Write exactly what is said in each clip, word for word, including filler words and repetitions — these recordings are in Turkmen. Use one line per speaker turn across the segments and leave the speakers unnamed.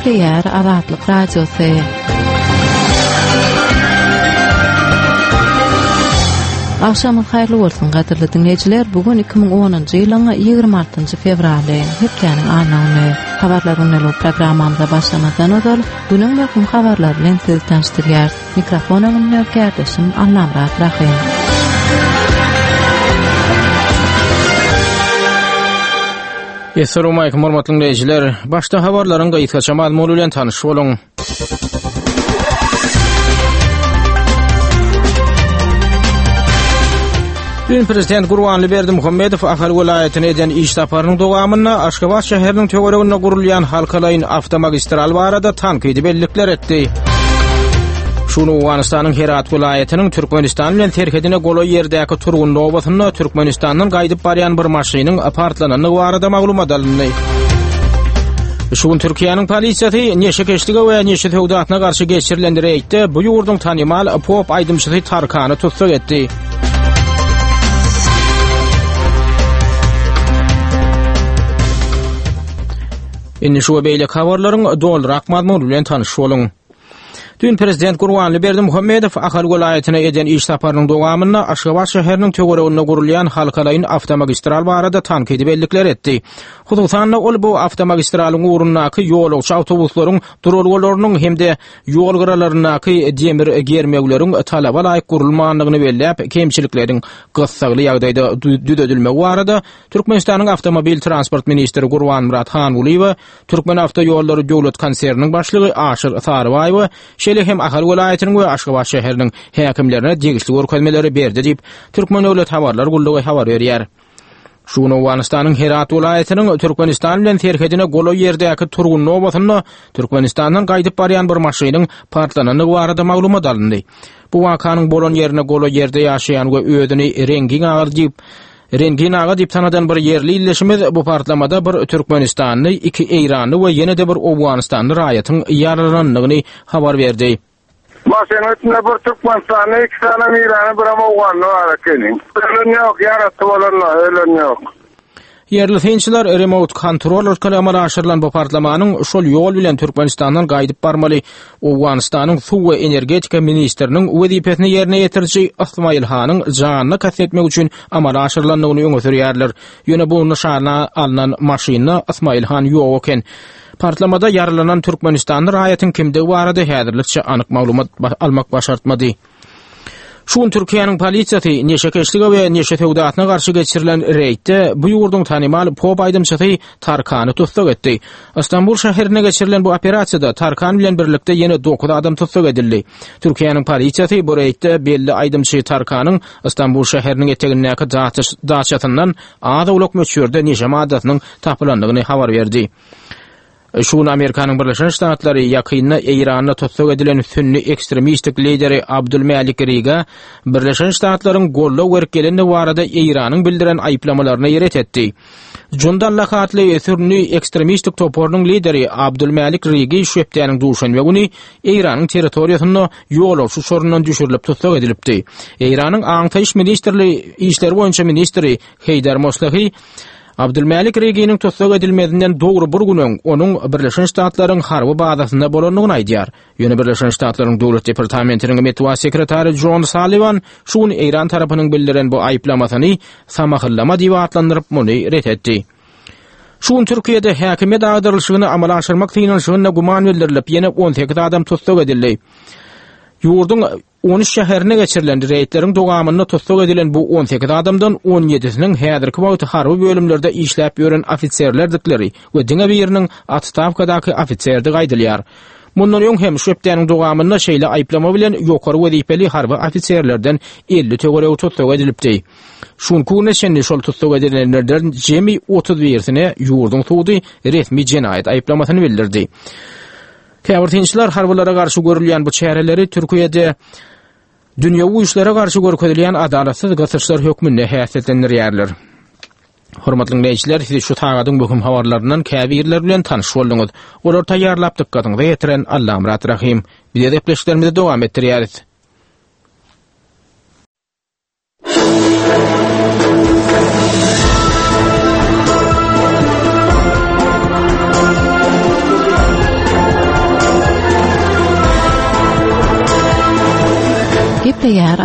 Gepleýär Azatlyk Radiosy. Agşamyňyz haýyrly bolsun gadyrly diňleýjiler. Bu gün iki müň onunjy ýylyň ýigrimi altynjy fewraly, hepdäniň anna güni. Habarlar gündelik programmamyza başlamazdan ozal günüň möhüm habarlary bilen sizi tanyşdyrýarys. Mikrofon öňünde kärdeşim Allamyrat Rahym.
Essalamu aleýkum hormatly dinleýjiler. Başda habarlaryň gysgaça mazmuny bilen tanyş boluň. Dün Prezident Gurbanly Berdimuhamedow Ahal welaýatyna eden iş saparynyň dowamynda Aşgabat şäheriniň töwereginde gurulýan halkalaýyn awtomagistral barada tankydy bellikler etdi. Şuny Owganystanyň Herat welaýatynyň Türkmenistan bilen serhedine golaý ýerdäki Turgun obasynda Türkmenistandan gaýdyp barýan bir maşynyň partlanandygy barada maglumat alyndy. Şu gün Türkiýäniň polisiýasy neşekeşlige we neşe söwdasyna garşy geçirilen reýdde bu ýurduň tanymal pop aýdymçysy Tarkany tussag etdi. Indi şu we beýleki habarlaryň dolurak mazmuny bilen tanyş boluň. Dün Prezident Gurbanly Berdimuhamedow Ahal welaýatyna eden iş saparynyň dowamynda Aşgabat şäheriniň töwereginde gurulýan halkalaýyn awtomagistral barada tankydy bellikler etdi. Hususan-da, ol bu awtomagistralyň ugrundaky ýolagçy awtobuslaryň duralgalarynyň hem-de ýol gyralaryndaky demir germewleriň talaba laýyk gurulmandygyny belläp, kemçilikleriň gyssagly ýagdaýda düzedilmegi barada Türkmenistanyň Awtomobil transport ministri Gurbanmyrat Hangulyýewe, Türkmenawtoýollary döwlet konserniniň başlygy Aşyr Sarybaýewe, şeýle hem Ahal welaýatynyň we Aşgabat şäheriniň häkimlerine degişli görkezmeleri berdi diýip, Türkmen döwlet habarlar gullugy habar berýär. Şu gün Owganystanyň Herat welaýatynyň Türkmenistan bilen serhedine golaý ýerdäki Turgundy obasynda Türkmenistandan gaýdyp barýan bir maşynyň partlanandygy barada maglumat alyndy. Bu wakanyň bolan ýerine golaý ýerde ýaşaýan we özüni Rengin aga diýip Rengin aga diýip tanadan bir ýerli ildeşimiz bu partlamada bir türkmenistanly, iki eýranly we ýene-de bir owganystanly raýatyň ýaralanandygyny habar berdi.
Maşynyň içinde bir türkmenistanly, iki sany eýranly, birem owganly bar ekeni. Ölen ýok, ýarasy bolanlar, ölen ýok.
Ýerli synçylar remote kontrol arkaly amala aşyrylan bu partlamanyň şol ýol bilen Türkmenistandan gaýdyp barmaly Owganystanyň suw we energetika ministriniň wezipesini ýerine ýetiriji Ysmaýyl hanyň janyna kast etmek üçin amala aşyrylandygyny öňe sürýärler. Ýöne bu nyşana alnan maşynda Ysmaýyl han ýok eken. Partlamada ýaralanan türkmenistanly raýatyň kimdigi barada häzirlikçe anyk maglumat almak başartmady. Şu gün Türkiýäniň polisiýasy neşekeşlige we neşe söwdasyna garşy geçirilen reýdde bu ýurduň tanymal pop aýdymçysy Tarkany tussag etdi. Istanbul şäherinde geçirilen bu operasiýada Tarkan bilen birlikde ýene dokuz adam tussag edildi. Türkiýäniň polisiýasy bu reýdde belli aýdymçy Tarkanyň Istanbul şäheriniň etegindäki daçasyndan az-owlak möçberde neşe maddasynyň tapylandygyny habar berdi. Şu gün Amerikanyň Birleşen Ştatlary ýakynda Eýranda tussag edilen sünni ekstremistik lideri Abdulmälik Riga Birleşen Ştatlaryň goldaw berip gelendigi barada Eýranyň bildiren aýyplamalaryny ret etdi. Jundallah atly sünni ekstremistik toparynyň lideri Abdulmälik Rigi şu hepdäniň duşenbe güni Eýranyň territoriýasynda ýolagçy uçaryndan düşürilip tussag edilipdi. Eýranyň aňtaýyş ministrli işleri boýunça ministri Heýdar Moslehi Abdulmälik Reginiň tussag edilmezinden dogry bir gün öň onuň Birleşen Ştatlaryň harby bazasynda bolandygyny aýdýar. Ýöne Birleşen Ştatlaryň Döwlet departamentiniň metbugat sekretary Jon Salliwan şu gün Eýran tarapynyň bildiren bu aýyplamasyny samahyllama diýip atlandyryp, muny ret etdi. Şu gün Türkiýede häkimiýet agdarylyşygyny amala aşyrmak synanyşygynda güman bildirilip, ýene on sekiz adam tussag edildi. Ýurduň on üç şäherinde geçirilen reýdleriň dowamynda tussag edilen bu on sekiz adamdan on ýedisiniň häzirki wagt harby bölümlerde işläp ýören ofiserlerdikleri we diňe biriniň otstawkadaky ofiserdigi aýdylýar. Mundan öň hem şu hepdäniň dowamynda şeýle aýyplama bilen ýokary wezipeli harby ofiserlerden elli töweregi tussag edilipdi. Şu günki güne çenli şol tussag edilenlerden jemi otuz birisine ýurduň sudy resmi jenaýat aýyplamasyny bildirdi. Käbir synçylar harbylara garşy görülýän bu çäreleri Türkiýede dünýewi güýçlere garşy görkezilýän adalatsyz gysyşlar hökmünde häsiýetlendirýärler. Hormatly diňleýjiler, siz şu sagadyň möhüm habarlaryndan käbirleri bilen tanyş bolduňyz. Olary taýýarlap dykgatyňyza ýetiren Allamyrat Rahym. Biz gepleşiklerimizi dowam etdirýäris.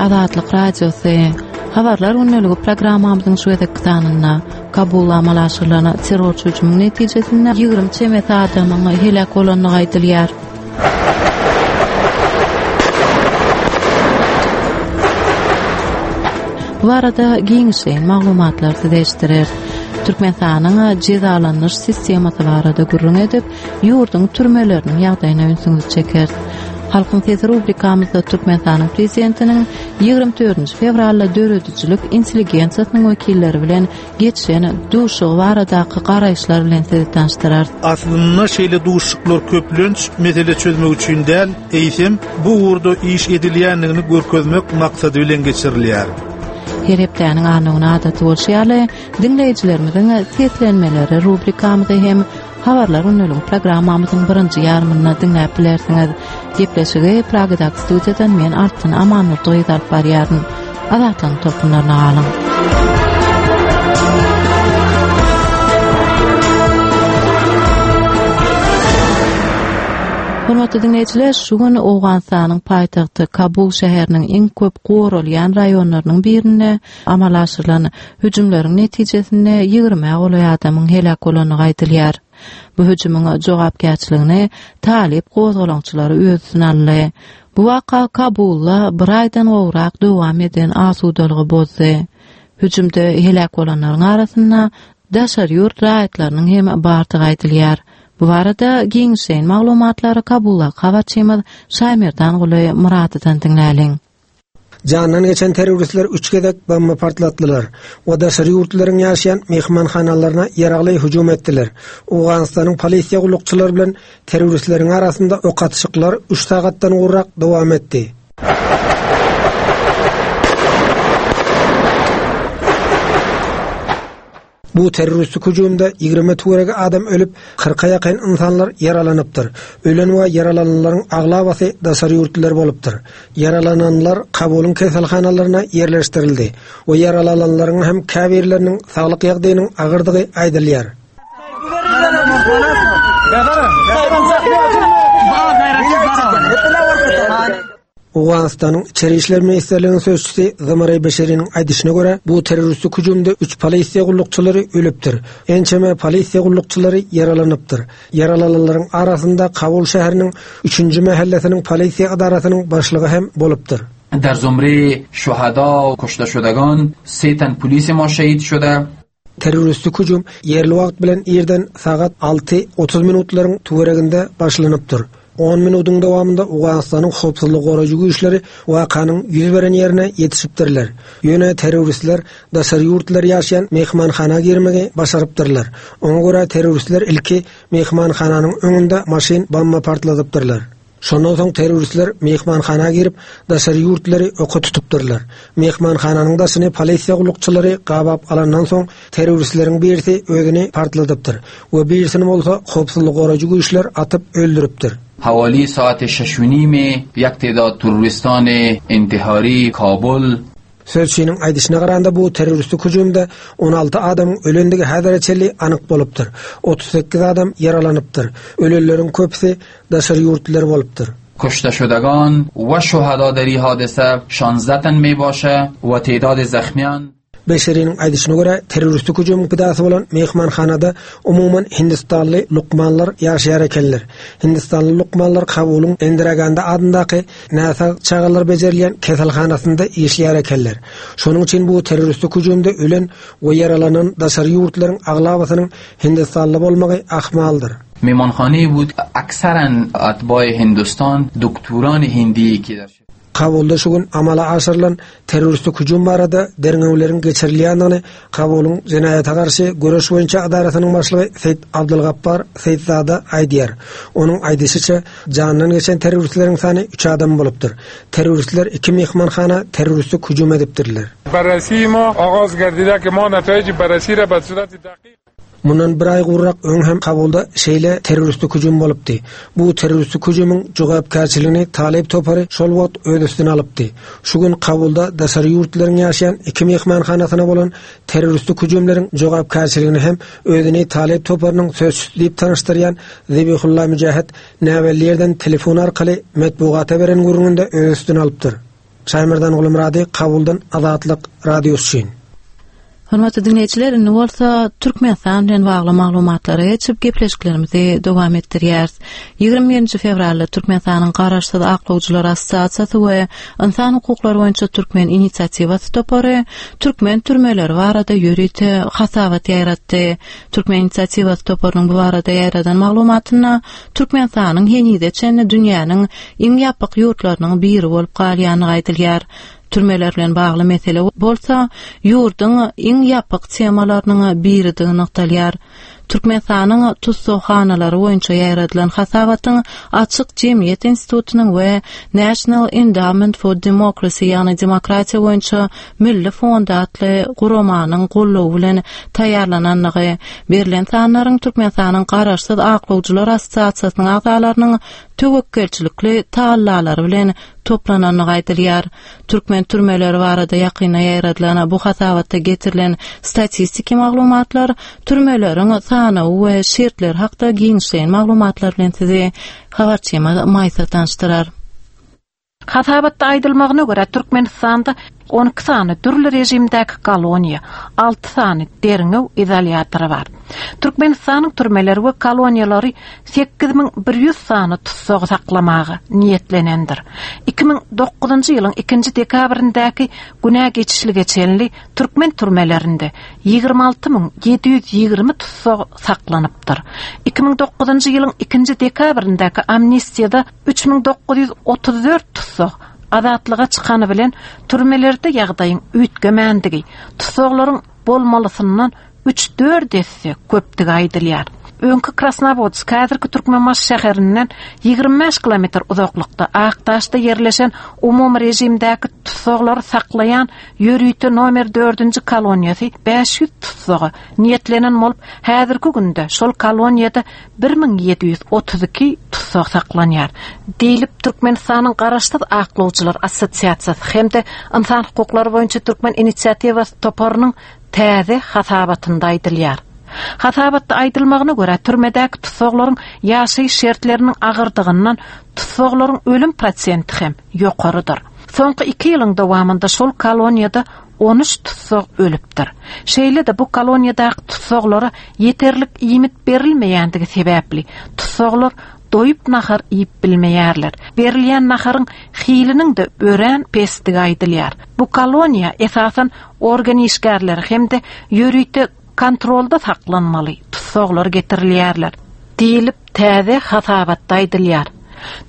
Azatlyk Radiosy. Habarlar gündeligi programmamyzyň şu gezekki sanynda Kabul amala aşyrylan terrorçy hüjümiň netijesinde ýigrimi çemesi adamyň heläk bolandygy aýdylýar. Bu arada giňişleýin maglumatlar size eşitdirer. Türkmenistanyň jezalandyryş sistemasy barada gürrüň edip, ýurduň türmeleriniň ýagdaýyna ünsüňizi çeker. Halkyň sesi rubrikamyzda Türkmenistanyň prezidentiniň ýigrimi dördünji fewralda döredijilik intelligensiýasynyň wekilleri bilen geçen duşuşygy baradaky garaýyşlar bilen sizi tanyşdyrar.
Aslynda şeýle duşuşyklar köplenç mesele çözmek üçin däl, eýsem bu ugurda iş edilýändigini görkezmek maksady bilen geçirilýär.
Her hepdäniň anna adaty bolşy ýaly, diňleýjilerimiziň seslenmeleri rubrikamyzy hem Habarlar gündelik programmamyzyň birinji ýarymynda diňläp bilersiňiz. Gepleşigi Pragadaky studiýadan men Altyn Amanurdy alyp barýaryn. Azatlygyň tolkunlaryna galyň. Hormatly diňleýjiler, şu gün Owganystanyň paýtagty Kabul şäheriniň iň köp goralýan raýonlarynyň birinde amala aşyrylan hüjümleriň netijesinde ýigrimi golaý adamyň heläk bolandygy aýdylýar. Bu hüjümiň jogapkärçiligini Talip gozgalaňçylary öz üstüne aldy. Bu waka Kabulda bir aýdan gowrak dowam eden asudalygy bozdy. Hüjümde heläk bolanlaryň arasynda daşary ýurt raýatlarynyň hem bardygy aýdylýar. Bu barada giňişleýin maglumatlary Kabulda habarçymyz Şaýmerdan Guly Muradydan diňläliň.
Jandan geçen terroristler üç gezek bomba partlatdylar we daşary ýurtlaryň ýaşaýan mehmanhanalaryna ýaragly hüjüm etdiler. Owganystanyň polisiýa gullukçylary bilen terroristleriň arasynda ok atyşyklar üç sagatdan gowrak dowam etdi. Bu terroristik hüjümde ýigrimi töweregi adam ölüp, kyrka ýakyn insanlar ýaralanypdyr. Ölen we ýaralananlaryň aglabasy daşary ýurtlylar bolupdyr. Ýaralananlar Kabulyň keselhanalaryna ýerleşdirildi we ýaralananlaryň hem käbirleriniň saglyk ýagdaýynyň agyrdygy aýdylýar. Owganystanyň İçeri İşler Ministerliginiň sözçüsi Zamaray Beşeriniň aýdyşyna görä, bu terroristik hüjümde üç polisiýa gullukçylary ölüpdir. Ençeme polisiýa gullukçylary ýaralanypdyr. Ýaralananlaryň arasynda Kabul şäheriniň üçünji mahallesiniň polisiýa edarasynyň başlygy hem bolupdyr.
در زمره شهدا و کشته شدگان سه تن پلیس ما شهید شده.
Terroristik hüjüm ýerli wagt bilen irden sagat alty otuz minutlaryň töwereginde başlanypdyr. On minutyň dowamynda Owganystanyň howpsuzlyk goraýjy güýçleri wakanyň ýüz beren ýerine ýetişipdirler. Ýöne terroristler daşary ýurtlar ýaşaýan mehmanhana girmegi başarypdyrlar. Oňa görä terroristler ilki mehmanhananyň öňünde maşyn bomba partladypdyrlar. Şondan soň terroristler mehmanhana girip daşary ýurtlary oka tutupdyrlar. Mehmanhananyň daşyny polisiýa gullukçylary gabap alandan soň terroristleriň birisi özüni partladypdyr we birisini bolsa howpsuzlyk goraýjy güýçler atyp öldüripdir.
حوالی ساعت شش و نیم یک تعداد تروریستان انتحاری کابل
Sözçiniň aýdyşyna garanda bu terroristik hüjümde on alty adamyň ölendigi häzire çenli anyk bolupdyr. Otuz sekiz adam ýaralanypdyr. Ölenleriň köpüsi daşary ýurtlylar bolupdyr.
کشته شدگان و شهدا در این حادثه شانزده تن می باشه و تعداد زخمیان
Beşeriniň aýdyşyna görä terroristik hüjümiň pidasy bolan mehmanhanada umuman Hindistanly lukmanlar ýaşaýar ekenler. Hindistanly lukmanlar Kabulyň Indira Gandhi adyndaky näsag çagalar bejerilýän keselhanasynda işleýär ekenler. Şonuň üçin bu terroristik hüjümde ölen we ýaralanan daşary ýurtlaryň aglabasynyň Hindistanly bolmagy ahmaldyr.
Mehmanxane بود اکثرا اتباع Hindistan doktoran Hindi ki der
Kabulda şu gün amala aşyrylan terroristik hüjüm barada derňewleriň geçirilýändigini Kabulyň jenaýata garşy göreş boýunça edarasynyň başlygy Seýid Abdulgappar Seýidzada aýdýar. Onuň aýdyşyça jandan geçen terroristleriň sany üç adam bolupdyr. Terroristler iki mehmanhana terroristik hüjüm edipdirler.
Barrasi ma og'oz gardida ki ma natayij barrasi ra ba surat daqiq
Mundan bir aý gurrak öň hem Kabulda şeýle terroristik hüjüm bolupdy. Bu terroristik hüjümiň jogapkärçiligini Talip topary şol wagt öz üstüne alypdy. Şu gün Kabulda daşary ýurtlaryň ýaşaýan iki mehmanhanasyna bolan terroristik hüjümleriň jogapkärçiligini hem özüni Talip toparynyň sözçüsi diýip tanyşdyrýan Zebihullah Mücahit näbelli ýerden telefon arkaly metbugata beren gürrüňinde öz üstüne alypdyr. Şaýmerdan Gulmurady Kabuldan Azatlyk Radiosy üçin.
Hormatly dinleýjiler, indi bolsa Türkmenistan bilen bagly maglumatlara geçip gepleşiklerimizi dowam etdirýäris. ýigrimi birinji fewralda Türkmenistanyň Garaşsyz Aklawjylar Assosiasiýasy we Ynsan hukuklary boýunça Türkmen inisiatiwasy topary türkmen türmeleri barada ýörite hasabat ýaýratdy. Türkmen inisiatiwasy toparynyň bu barada ýaýradan maglumatynda Türkmenistanyň henize çenli dünýäniň iň ýapyk ýurtlarynyň biri bolup galýandygy aýdylýar. Türmeler bilen bagly mesele bolsa ýurduň iň ýapyk temalarynyň biridigi nygtalýar. Türkmenistanyň tussaghanalary boýunça ýaýradylan hasabatyň Açyk Jemgyýet Institutynyň we National Endowment for Democracy, ýagny Demokratiýa boýunça Milli Fond atly guramanyň goldawy bilen taýýarlanandygy, berlen sanlaryň Türkmenistanyň Garaşsyz Aklawjylar Assosiasiýasynyň agzalarynyň töwekgelçilikli tagallalary bilen toplanandygy aýdylýar. Türkmen türmeleri barada ýakynda ýaýradylan bu hasabatda getirilen statistiki maglumatlar türmeleriň sanawy we şertleri hakda giňişleýin maglumatlar bilen sizi habarçymyz Maýsa tanyşdyrar.
Hasabatda aýdylmagyna görä Türkmenistanda on iki sany dürli rejimdäki koloniýa, alty sany derňew izolýatory bar. Türkmenistanyň türmeleri we koloniýalary sekiz müň bir ýüz sany tussag saklamaga niýetlenendir. iki müň dokuzynjy ýylyň ikinji dekabrindäki günä geçişlige çenli türkmen türmelerinde ýigrimi alty müň ýedi ýüz ýigrimi tussag saklanypdyr. iki müň dokuzynjy ýylyň ikinji dekabrindäki amnistiýada üç müň dokuz ýüz otuz dört tussag azatlyga çykany bilen türmelerde ýagdaýyň üýtgemändigi, tussaglaryň bolmalysyndan üç dört esse köpdügi aýdylýar. Öňki Krasnowodsk häzirki Türkmenbaşy şäherinden ýigrimi bäş kilometr uzaklykda Akdaşda ýerleşen umumy rejimdäki tutsaglary saklaýan ýörite nomer dördünji koloniýasy bäş ýüz tutsaga niýetlenen bolup, häzirki günde şol koloniýada bir müň ýedi ýüz otuz iki tussag saklanýar. Diýlip Türkmenistanyň Garaşsyz Aklawjylar Assosiasiýasy hem-de Ynsan hukuklary boýunça Türkmen inisiatiwasy toparynyň täze hasabatynda aýdylýar. Hasabatda aýdylmagyna görä türmedäki tussaglaryň ýaşaýyş şertleriniň agyrdygyndan tussaglaryň ölüm prosenti hem ýokarydyr. Soňky iki ýylyň dowamynda şol koloniýada on üç tussag ölüpdir. Şeýle-de bu koloniýadaky tussaglara ýeterlik iýmit berilmeýändigi sebäpli tussaglar doýup nahar iýip bilmeýärler. Berilýän naharyň hiliniň-de örän pesdigi aýdylýar. Bu koloniýa esasan organ işgärleri hem-de ýörite kontrolda saklanmaly tussaglar getirilýärler. Diýlip täze hasabatda aýdylýar.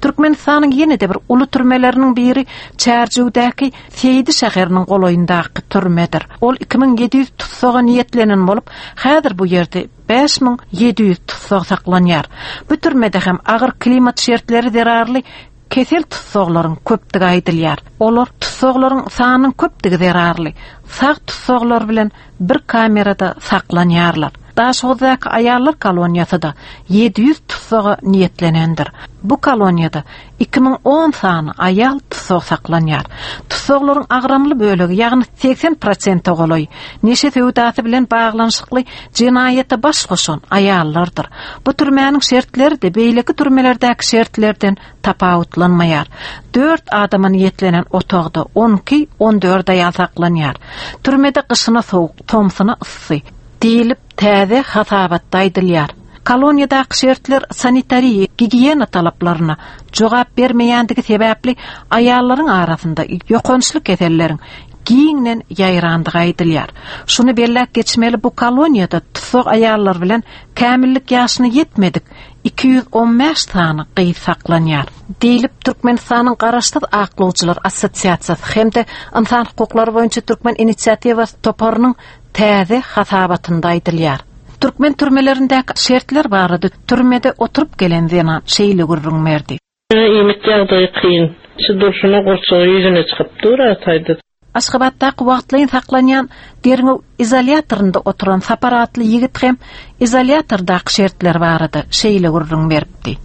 Türkmenistanyň ýene-de bir uly türmeleriniň biri Çärjewdäki Seýdi şäheriniň golaýyndaky türmedir. Ol iki müň ýedi ýüz tussaga niýetlenen bolup, häzir bu ýerde bäş müň ýedi ýüz tussag saklanýar. Bu türmede hem agyr klimat şertleri zerarly kesel tussaglaryň köpdügi aýdylýar. Olar tussaglaryň sanynyň köpdügi zerarly sag tussaglar bilen bir kamerada saklanýarlar. Daşoguzdaky aýallar koloniýasy da ýedi ýüz tussaga niýetlenendir. Bu koloniýada iki müň on sany aýal tussag saklanýar. Tussaglaryň agramly bölegi, ýagny seksen prosente golaý neşe söwdasy bilen baglanyşykly jenaýata baş goşan aýallardyr. Bu türmäniň şertleri de beýleki türmelerdäki şertlerden tapawutlanmaýar. Dört adama niýetlenen otagda on iki, on dört aýal saklanýar. Türmede gyşyna sowuk, tomsuna yssy diýlip täze hasabatda aýdylýar. Koloniýadaky şertler sanitariýa, gigiýena talaplaryna jogap bermeýändigi sebäpli aýallaryň arasynda ýokançly keselleriň giňden ýaýrandygy aýdylýar. Şuny belläp geçmeli, bu koloniýada tussag aýallar bilen kämillik ýaşyna ýetmedik iki ýüz on bäş sany gyz saklanýar. Diýlip Türkmenistanyň Garaşsyz Aklawjylar Assosiasiýasy hem-de Ynsan hukuklary boýunça Türkmen inisiatiwasy toparynyň täze hasabatynda aýdylýar. Türkmen türmelerindäki şertler barada türmede oturyp gelen zenan şeýle gürrüň berdi.
Iýmit ýagdaýy kyn. Şu durşuna gurçugy ýüzüne çykyp dur ataýdy.
Aşgabatdaky wagtlaýyn saklanýan derňew izolýatorynda oturan Sapar atly ýigit hem izolýatordaky şertler barada şeýle gürrüň beripdi.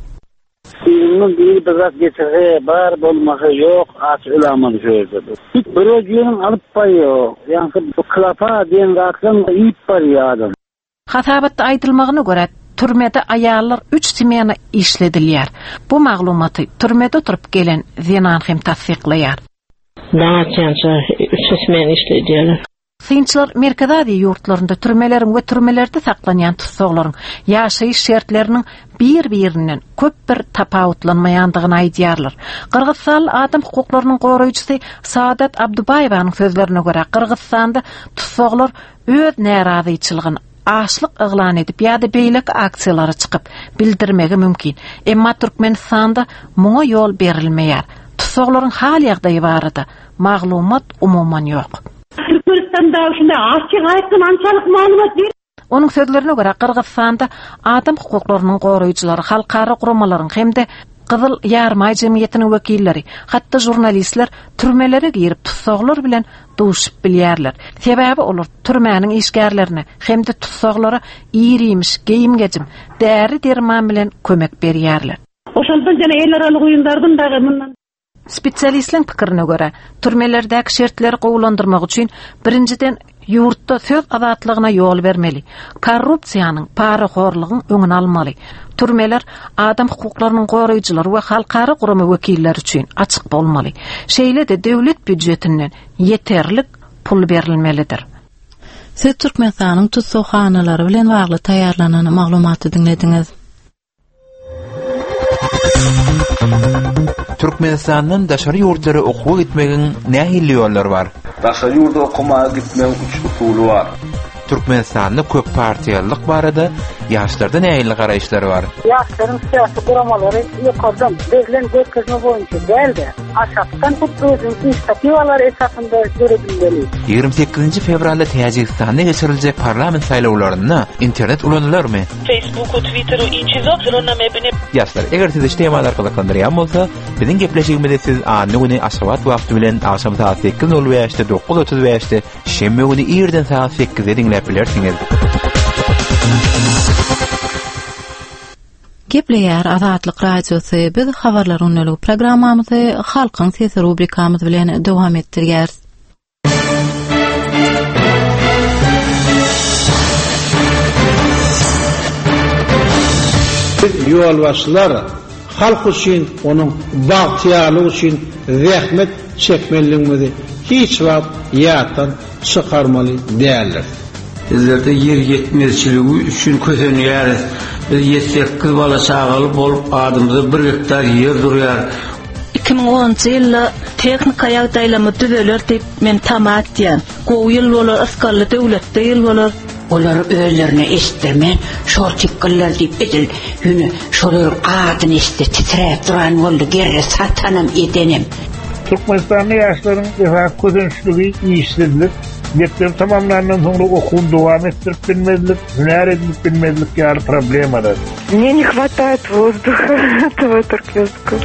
Ýygynyň biri bir zat getirse, bar bolmasa ýok, aç ölämeli şu ýerde. Hiç bir ýeriň alyp barýar. Ýagny bu klapa diýen zatlaryň iýip barýar adam.
Hasabatda aýdylmagyna görä türmede aýallar üç smena işledilýär. Bu maglumaty türmede oturyp gelen zenan hem tassyklaýar.
Daň atýança üç smen işledýärler.
Synçylar Merkezi Aziýa ýurtlarynda türmeleriň we türmelerde saklanýan tussaglaryň ýaşaýyş şertleriniň bir-birinden köp bir tapawutlanmaýandygyny aýdýarlar. Gyrgyzstanly adam hukuklarynyň goraýjysy Saadat Abdubaýewanyň sözlerine görä, Gyrgyzstanda tussaglar öz närazyçylygyny açlyk yglan edip ýa-da beýleki aksiýalara çykyp bildirmegi mümkin. Emma Türkmenistanda muňa ýol berilmeýär. Tussaglaryň hal ýagdaýy barada maglumat umuman ýok.
Türkmenistanda şunda açyk aýdyň ançalyk maglumat ber.
Onuň sözlerine görä Gyrgyzstanda adam hukuklarynyň goraýjylary, halkara guramalaryň hem-de Gyzyl Ýarmaý jemgyýetiniň wekilleri, hatda žurnalistler türmelere girip tussaglar bilen duşup bilýärler. Sebäbi olar türmäniň işgärlerine hem-de tussaglara irimiş, geýim-gejim, däri derman bilen kömek berýärler.
Oşondan jana eller alyp oýundardım dagy mundan.
Spesialistleriň pikirine görä, türmelerdäki şertleri gowulandyrmak üçin birinjiden ýurtda söz azatlygyna ýol bermeli, korrupsiýanyň, parahorlugyň öňüni almaly. Türmeler adam hukuklarynyň goraýjylary we halkara gurama wekilleri üçin açyk bolmaly. Şeýle-de döwlet býujetinden ýeterlik pul berilmelidir.
Siz Türkmenistanyň tussaghanalary bilen bagly taýýarlanan maglumaty diňlediňiz.
Türkmenistandan daşary ýurtlara okuwa gitmegiň nähili ýollary bar?
Daşary ýurda okamaga gitmegiň üç usuly bar.
Türkmenistanda köp partiýalylyk barada ýaşlarda nähili garaýyşlar bar?
Ýaşlaryň syýasy guramalary ýokardan berlen görkezme boýunça däl-de, aşakdan hut özüniň inisiatiwalary esasynda döredilmeli.
Ýigrimi sekizinji fewralda Täjigistanda geçiriljek parlament saýlawlarynda internet ulanylarmy?
Facebooku, Twitteru i çizo, zrona mebine.
Ýaşlar, eger sizi şu temalar gyzyklandyrýan bolsa, biziň gepleşigimizi siz anna güni Aşgabat wagty bilen agşam saat sekiz nol bäşde, dokuz otuz bäşde, şenbe güni irden saat sekizde diňläp bilersiňiz.
Gepleýär Azatlyk Radiosy. Biz habarlar gündelik programmamyzy Halkyň sesi rubrikamyz bilen dowam etdirýäris.
Biz ýolbaşçylar halk üçin, onuň bagtyýarlygy üçin zähmet çekmeliligimizi hiç wagt ýatdan çykarmaly däldir.
Bizlerde ýer ýetmezçiligi üçin kösenýäris. Biz ýedi sekiz bala çagaly bolup adymyza bir gektar ýer durýar.
Iki müň onunjy ýylda tehnika ýagdaýlamy düzeler diýip men tama etýän. Gowy ýyl bolar, ysgally döwletde ýyl bolar.
Olar özlerine eşitdirmän, şol tipkiller diýip edil, ýöne şolaryň adyny eşitse titräp duran boldy, gerre satanam edenem.
Türkmenistanda ýaşlaryň esasy kösençligi işsizlik, mekdep tamamlandan soňra okuwyny dowam etdirip bilmezlik, hünär edinip bilmezlik ýaly problemalar.
Мне не хватает воздуха этого туркменского.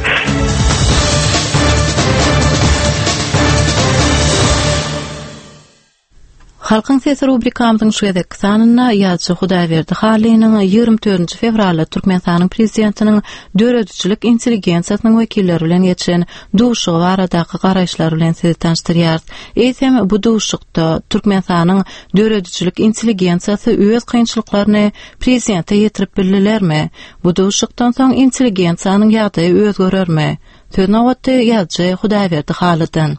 Halkyň sesi rubrikamyzyň şu gezekki sanynda ýazyjy Hudaýberdi Halynyň ýigrimi dördünji fewralda Türkmenistanyň prezidentiniň döredijilik intelligensiýasynyň wekilleri bilen geçen duşuşygy baradaky garaýyşlar bilen sizi tanyşdyrýarys. Eýsem bu duşuşykda Türkmenistanyň döredijilik intelligensiýasy öz kynçylyklaryny prezidente ýetirip bildilermi? Bu duşuşykdan soň intelligensiýanyň ýagdaýy özgerermi? Söz nobatda ýazyjy Hudaýberdi Halydan.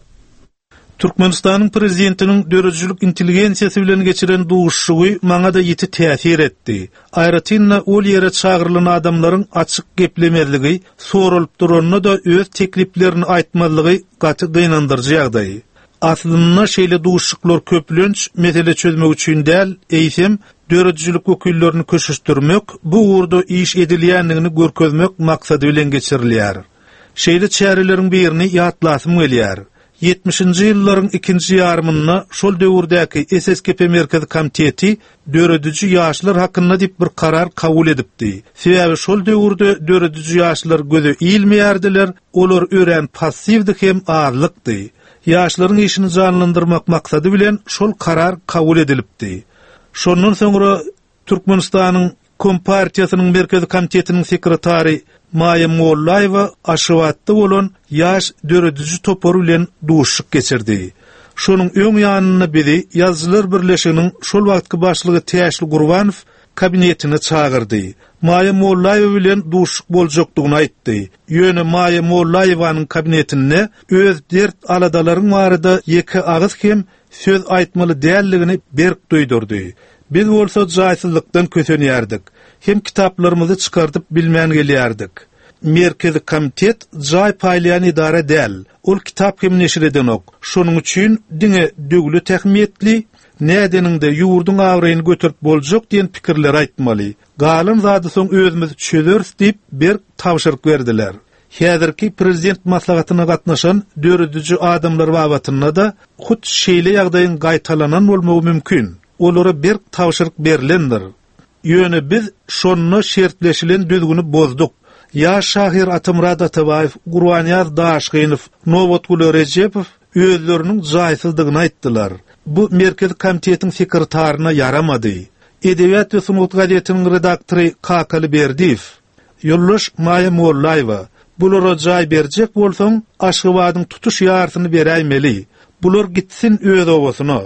Türkmenistanyň prezidentiniň döredijilik intelligensiýasy bilen geçiren duşuşygy maňa da ýiti täsir etdi. Aýratyn-da ol ýere çagyrylan adamlaryň açyk geplemezligi, soralyp duranda da öz tekliplerini aýtmazlygy gaty gynandyryjy ýagdaý. Aslynda şeýle duşuşyklar köplenç mesele çözmek üçin däl, eýsem döredijilik wekillerini köşeşdirmek, bu ugurda iş edilýändigini görkezmek maksady bilen geçirilýär. Şeýle çäreleriň birini ýatlasym gelýär. Ýetmişinji ýyllaryň ikinji ýarymynda şol döwürdäki S S K P Merkezi Komiteti dörediji ýaşlar hakynda diýip bir karar kabul edipdi. Sebäbi şol döwürde dörediji ýaşlar göze ilmeýärdiler, olar örän passiwdi hem azlykdy. Ýaşlaryň işini janlandyrmak maksady bilen şol karar kabul edilipdi. Şondan soňra Türkmenistanyň Kompartiýasynyň Merkezi Komitetiniň sekretary Maýa Mollaýewa Aşgabatda bolan ýaş dörediji topary bilen duşuşyk geçirdi. Şonuň öň ýanynda bizi Ýazyjylar Birleşiginiň şol wagtky başlygy Täşli Gurbanow kabinetine çagyrdy. Maýa Mollaýewa bilen duşuşyk boljakdygyny aýtdy. Ýöne Maýa Mollaýewanyň kabinetinde öz dert aladalaryň barada ýeke agyz hem söz aýtmaly däldigini berk duýdurdy. Biz bolsa jaýsyzlykdan kösenýärdik. Hem kitaplarymyzy çykardyp bilmän gelýärdik. Merkezi komitet jaý paýlaýan idara däl. Ol kitap hem neşir edenok. Şonuň üçin diňe döwlet ähmiýetli, nädeniňde ýurduň abraýyny göterip boljak diýen pikirler aýtmaly. Galan zady soň özümiz çözeris diýip berk tabşyryk berdiler. Häzirki prezident maslahatyna gatnaşan dörediji adamlar babatynda da hut şeýle ýagdaýyň gaýtalanan bolmagy mümkin. Olara berk tabşyryk berlendir. Ýöne biz şonda şertleşilen düzgüni bozduk. Ýaş şahyr Atamrat Atabaýew, Gurbanýaz Daşgynow, Nobatguly Rejepow özleriniň jaýsyzdygyny aýtdylar. Bu Merkezi komitetiň sekretaryna ýaramady. Edebiýat we sungat gazetiniň redaktory Kakaly Berdiýew, Ýoldaş Maýa Mollaýewa, bulara jaý berjek bolsaň, Aşgabadyň tutuş ýarysyny beräýmeli. Bular gitsin öz obasyna.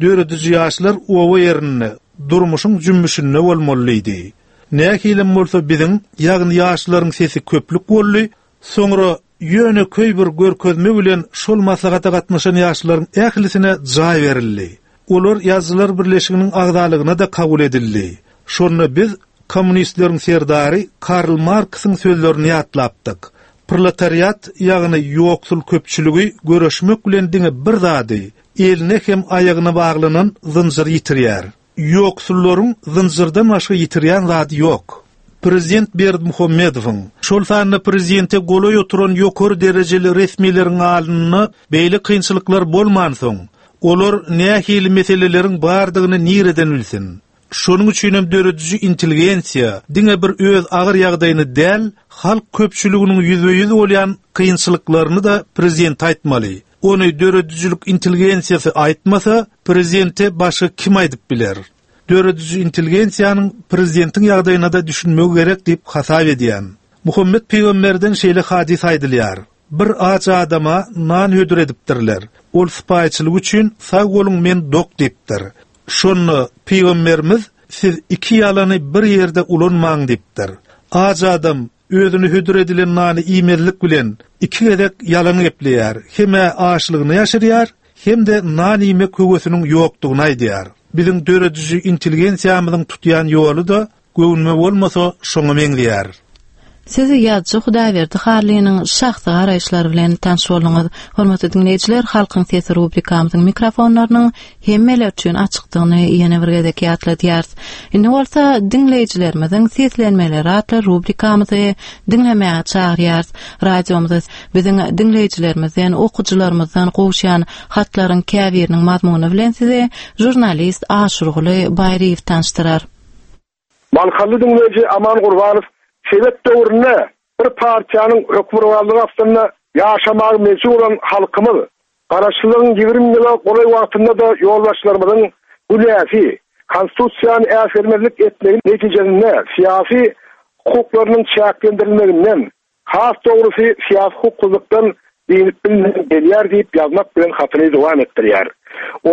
Dörediji ýaşlar oba ýerinde, durmuşyň jümmüşinde bolmalydy. Nähilem bolsa biziň, ýagny ýaşlaryň sesi köplük boldy, soňra ýöne köý bir görkezme bilen şol maslahata gatnaşan ýaşlaryň ählisine jaý berildi. Olar Ýazyjylar birleşiginiň agzalygyna da kabul edildi. Şonda biz kommunistleriň serdary Karl Marksyň sözlerini ýatlapdyk. Proletariat, ýagny ýoksul köpçüligi görüşmek bilen diňe bir zady, eline hem aýagyna baglanan zynjyr ýitirýär. Ýoksullaryň zynjyrdan başga ýitirýän zady ýok. Prezident Berdimuhamedowyň, şol sanda prezidente golaý oturan ýokary derejeli resmileriň alnynda beýle kynçylyklar bolmansoň, olar nähili meseleleriň bardygyny nireden bilsin? Şonuň üçin hem dörediji intelligensiýa diňe bir öz agyr ýagdaýyny däl, halk köpçüliginiň ýüzbe-ýüz bolýan kynçylyklaryny da prezident aýtmaly. Ony döredijilik intelligensiýasy aýtmasa, prezidente başga kim aýdyp biler? Dörediji intelligensiýanyň prezidentiň ýagdaýyna da düşünmegi gerek diýip hasap edýän. Muhammet peygamberden şeýle hadys aýdylýar. Bir aç adama nan hödür edipdirler. Ol sypaýçylyk üçin sag boluň men dok diýipdir. Şonda peygamberimiz siz iki ýalany bir ýerde ulanmaň diýipdir. Aç adam özüni hödür edilen nany iýmezlik bilen iki gezek ýalan gepleýär. Hem açlygyny ýaşyrýar, hem de nan iýmek höwesiniň ýokdugyny aýdýar. Biziň dörediji intelligensiýamyzyň tutýan ýoly da göwnüme bolmasa şoňa meňzeýär.
Siz ýazyjy Hudaýberdi Harlynyň şahsy garaýyşlary bilen tanyş bolduňyz. Hormatly diňleýjiler, Halkyň sesi rubrikamyzyň mikrofonlarynyň hemmeler üçin açykdygyny ýene bir gezek ýatladýarys. Indi bolsa diňleýjilerimiziň seslenmeleri atly rubrikamyzy diňlemäge çagyrýarys. Radiomyza biziň diňleýjilerimizden, okyjylarymyzdan gowuşýan hatlaryň käbiriniň mazmuny bilen sizi žurnalist Aşurguly Baýryýew tanyşdyrar.
Balkanly diňleýji Aman Gurbanow Sebet döwründe bir partiýanyň hökmürowanlygy astynda ýaşamagy mejbur bolan halkymyz Garaşsyzlygyň ýigrimi ýyla golaý wagtynda da ýolbaşçylarymyzyň günäsi, konstitusiýany äsgermezlik etmegi netijesinde syýasy hukuklarynyň çäklendirilmeginden, has dogrusy syýasy hukuksyzlykdan diýip bilmän gelýär diýip ýazmak bilen hatyny dowam etdirýär.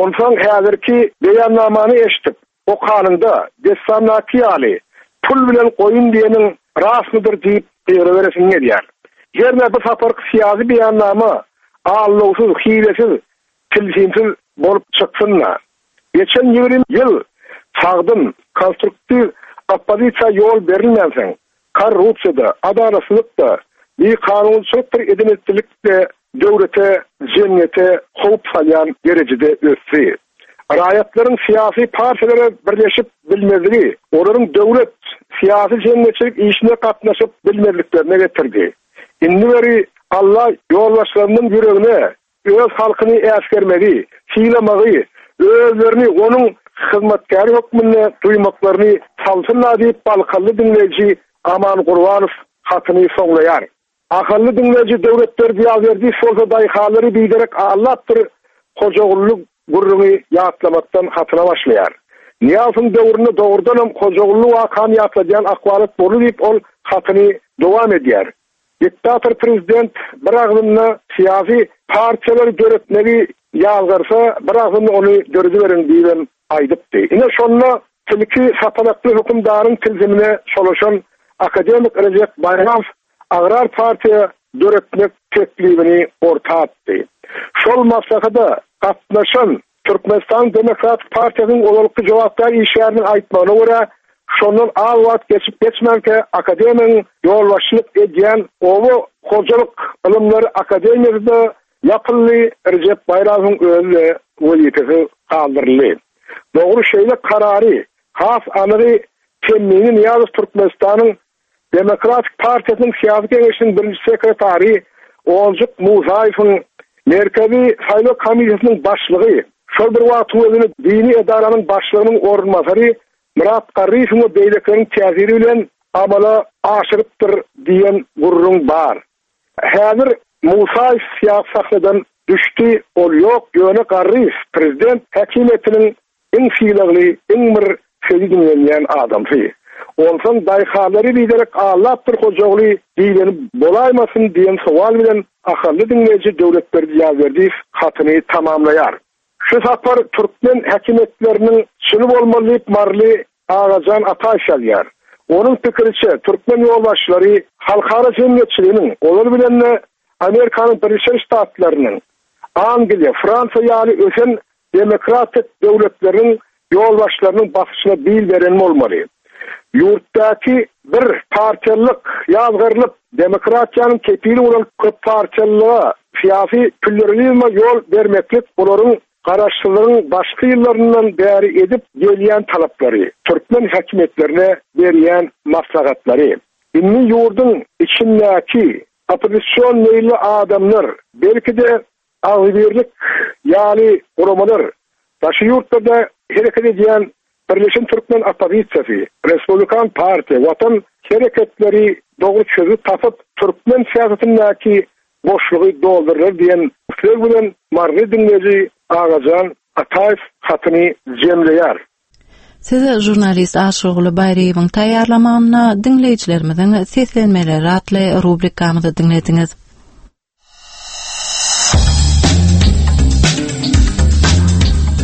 Onsoň häzirki beýannamany eşitip, okanyňda dessandaky ýaly pul bilen goýun diýeniň rasmydyr diýip gygyryberesin gelýär. Ýerine bu saparky syýasy beýannama allowsyz, hilesiz, tilsimsiz bolup çyksyn-da. Geçen ýigrimi ýyl sagdyn, konstruktiv oppozisiýa ýol berilmänsoň, korrupsiýada, adalatsyzlykda, bikanunçylykdyr edinetçilikde döwlete, jemgyýete howp salýan derejede ösdi. Raýatlaryň syýasy partiýalara birleşip bilmezligi, olaryň döwlet, syýasy jemgyýetçilik işine gatnaşyp bilmezliklerine getirdi. Indi beri Allah ýolbaşçylarynyň ýüregine öz halkyny äsgermegi, sylamagy, özlerini onuň hyzmatkäri hökmünde duýmaklaryny salsynlar diýip Balkanly diňleýji Aman Gurbanow hatyny soňlaýar. Ahally diňleýji Döwletberdi Ýazberdiýew bolsa daýhanlary biderek allapdyr, Hojagully gürrüňi ýatlamakdan hatyna başlaýar. Niýazyň döwründe dogrudanam Hojagully wakany ýatladýan ahwalat boldy diýip ol hatyny dowam edýär. Diktator prezident bir agzynda syýasy partiýalary döretmegi ýazgarsa, bir agzynda ony dörediberiň diýibem aýdypdy. Ine şonda Tilki sapalakly hökümdaryň tilsimine çolaşan akademik Rejep Baýramow Agrar partiýa döretmek teklibini orta atdy. Şol maslahata gatnaşan Türkmenistan Demokratik Partiýasynyň ozalky jogapkär işgäriniň aýtmagyna görä, şondan az wagt geçip geçmänkä akademiýanyň ýolbaşçylyk edýän Oba hojalyk ylymlary akademiýasy-da ýapyldy, Rejep Baýramowyň özi-de wezipesi galdyryldy. Dogry şeýle karary, has anygy Temmini Nyýazow Türkmenistanyň Demokratik Partiýasynyň syýasy geňeşiniň birinji sekretary Onjuk Musaýewiň Merkezi Saýlaw komissiýasynyň başlygy, şol bir wagtyň özünde dini edaranyň başlygynyň orunbasary Myrat Garryýewiň we beýlekileriň täsiri bilen amala aşyrypdyr diýen gürrüň bar. Häzir Musaýew syýasy sahnadan düşdi, ol ýok, ýöne Garryýew prezident häkimiýetiniň iň sylagly, iň bir sözi diňlenýän adamsy. Onsoň daýhanlary biderek aldapdyr Hojaguly diýleni bolaýmasyn diýen sowal bilen ahally diňleýji Döwletberdi Ýazberdiýew hatyny tamamlaýar. Şu sapar türkmen häkimiýetleriniň çyny bolmaly diýip Maryly Agajan Ataýew ýazýar. Onuň pikiriçe türkmen ýolbaşçylary halkara jemgyýetçiliginiň, olar bilen-de Amerikanyň Birleşen Ştatlarynyň, Angliýa, Fransiýa ýaly ösen demokratik döwletleriň ýolbaşçylarynyň basyşyna bil beren bolmaly. Ýurtdaky bir partiýalyk ýazgarylyp, demokratiýanyň kepili bolan köp partiýalylyga, syýasy pluralizme ýol bermeklik olaryň garaşsyzlygyň başky ýyllaryndan bäri edip gelýän talaplary, türkmen häkimiýetlerine berýän maslahatlary. Indi ýurduň içindäki oppozision meýilli adamlar, belki-de agzybirlik ýaly guramalar, daşary ýurtlarda hereket edýän Birleşen Türkmen oppozisiýasy, Respublikan partiýa, Watan hereketleri dogry çözgüt tapyp, türkmen syýasatyndaky boşlugy doldurlar diýen isleg bilen Maryly diňleýji Agajan Ataýew hatyny jemleýär.
Siz žurnalist Aşyrguly Baýryýewiň taýýarlamagynda diňleýjilerimiziň seslenmeleri atly rubrikamyzy diňlediňiz.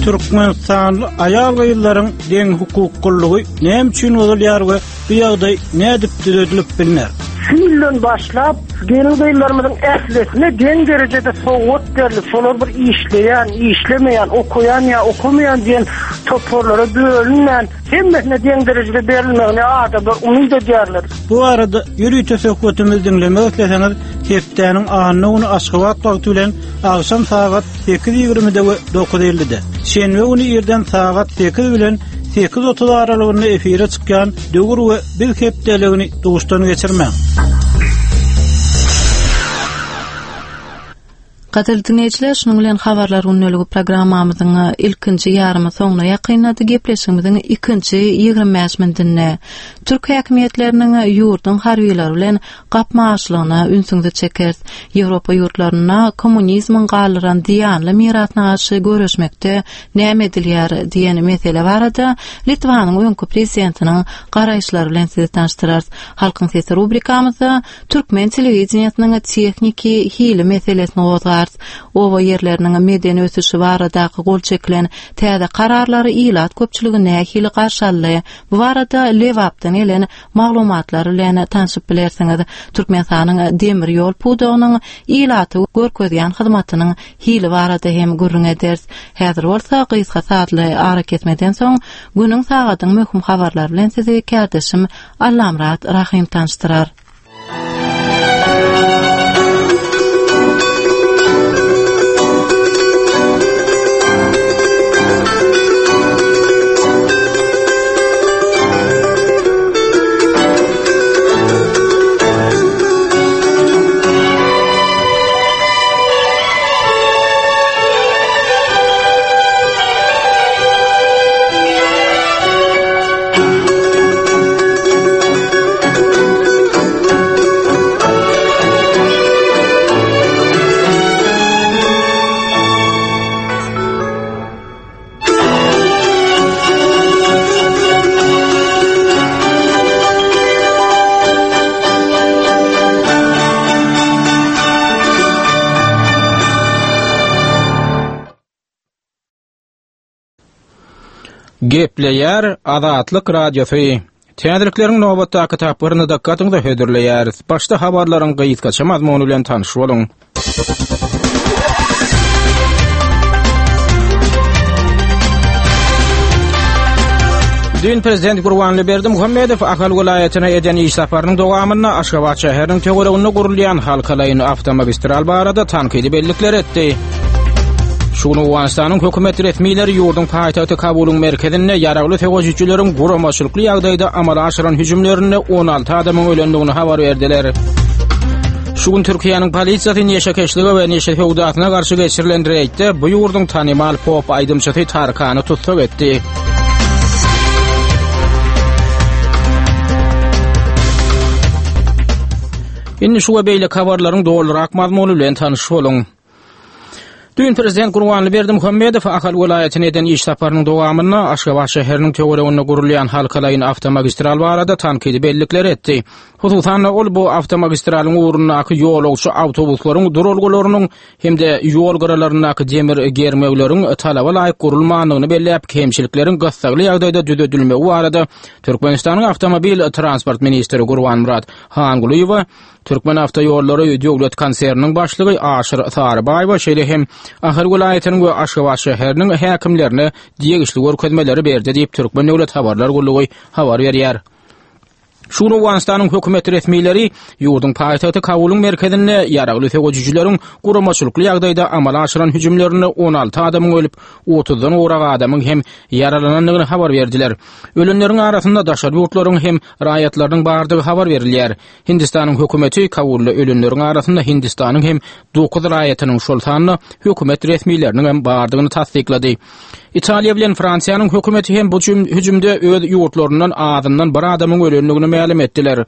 Türkmenistanly aýal gyzlaryň deň hukuklylygy näme üçin bozulýar we bu ýagdaý nädip düzedilip bilner?
Şu ýyldan başlap gelin gyzlarymyzyň ählisine deň derejede sowgat berilip, şolar bir işleýän, işlemeýän, okaýan ýa okamaýan diýen toparlara bölünmän, hemmesine deň derejede berilmegini adamlar umyt edýärler.
Bu arada ýörite söhbetimizi diňlemek isleseňiz, hepdäniň anna güni Aşgabat wagty bilen akşam sagat sekiz ýigrimide we dokuz ellide, şenbe güni irden sagat sekiz bilen sekiz otuz aralygynda efire çykýan Döwür we Biz hepdeligini duşdan geçirmäň.
Gadyrly dinleýjiler, şunuň bilen habarlar gündeligi programmamyzyň ilkinji ýarymy soňuna ýakynlady. Gepleşigimiziň ikinji ýigrimi bäş minutynda türk häkimiýetleriniň ýurduň harbylary bilen gapma-garşylygyna ünsüňizi çekeris. Ýewropa ýurtlarynda kommunizmiň galdyran zyýanly mirasyna garşy göreşmekde näme edilýär diýen mesele barada Litwanyň öňki prezidentiniň garaýyşlary bilen sizi tanyşdyrarys. Halkyň sesi rubrikamyzda türkmen telewideniýesiniň tehniki hili meselesini gozgarys. Oba ýerleriniň medeni ösüşi baradaky gol çekilen täze kararlary ilat köpçüligi nähili garşy aldy? Bu barada Lebapdan gelen maglumatlar bilen tanşyp bilersiňiz. Türkmenistanyň demir ýol pudagynyň ilaty görkezýän hyzmatynyň hili barada hem gürrüň ederis. Häzir bolsa gysga saatly ara kesmeden soň günüň sagadyň möhüm habarlary bilen sizi kärdeşim Allamyrat Rahym tanyşdyrar.
Gepleýär Azatlyk Radiosy. Täzelikleriň nobatdaky tapgyryny dykgatyňyza hödürleýäris. Başda habarlaryň gysgaça mazmuny bilen tanyş boluň. Düýn Prezident Gurbanguly Berdimuhamedow Ahal welaýatyna eden iş saparynyň dowamynda Aşgabat şäheriniň töwereginde gurulýan halkalaýyn awtomagistral barada tankydy bellikler etdi. Şu gün Owganystanyň hökümet resmileri ýurduň paýtagty Kabulyň merkezinde ýaragly söweşijileriň guramaçylykly ýagdaýda amala aşyran hüjümlerinde on alty adamyň ölendigini habar berdiler. Şu gün Türkiýäniň polisiýasy neşekeşlige we neşe söwdasyna garşy geçirilen reýdde bu ýurduň tanymal pop aýdymçysy Tarkany tussag etdi. Indi şu we beýleki habarlaryň dolurak mazmuny bilen tanyş boluň. Düýn Prezident Gurbanguly Berdimuhamedow Ahal welaýatyna eden iş saparynyň dowamynda Aşgabat şäheriniň töwereginde gurulýan halkalaýyn awtomagistral barada tankydy bellikler etdi. Hususan-da, ol bu awtomagistralyň ugrundaky ýolagçy awtobuslaryň duralgalarynyň hem-de ýol gyralaryndaky demir germewleriň talaba laýyk gurulmandygyny belläp, kemçilikleriň gyssagly ýagdaýda düzedilmegi barada Türkmenistanyň awtomobil transport ministri Gurbanmyrat Hangulyýewe, Türkmenawtoýollary döwlet konserniniň başlygy Aşyr Sarybaýewe, şeýle hem Ahal welaýatynyň we Aşgabat şäheriniň häkimlerine degişli görkezmeleri berdi diýip, Türkmen döwlet habarlar gullugy habar berýär. Şu gün Owganystanyň hökümet resmileri ýurduň paýtagty Kabulyň merkezinde ýaragly söweşijileriň guramaçylykly ýagdaýda amala aşyran hüjümlerinde on alty adamyň ölüp, otuzdan gowrak adamyň hem ýaralanandygyny habar berdiler. Ölenleriň arasynda daşary ýurtlaryň hem raýatlarynyň bardygy habar berilýär. Hindistanyň hökümeti Kabulda ölenleriň arasynda Hindistanyň hem dokuz raýatynyň, şol sanda hökümet resmileriniň hem bardygyny tassyklady. Italiýa bilen Fransiýanyň hökümeti hem bu hüjümde öz ýurtlaryndan azyndan bir adamyň ölendigini mälim etdiler.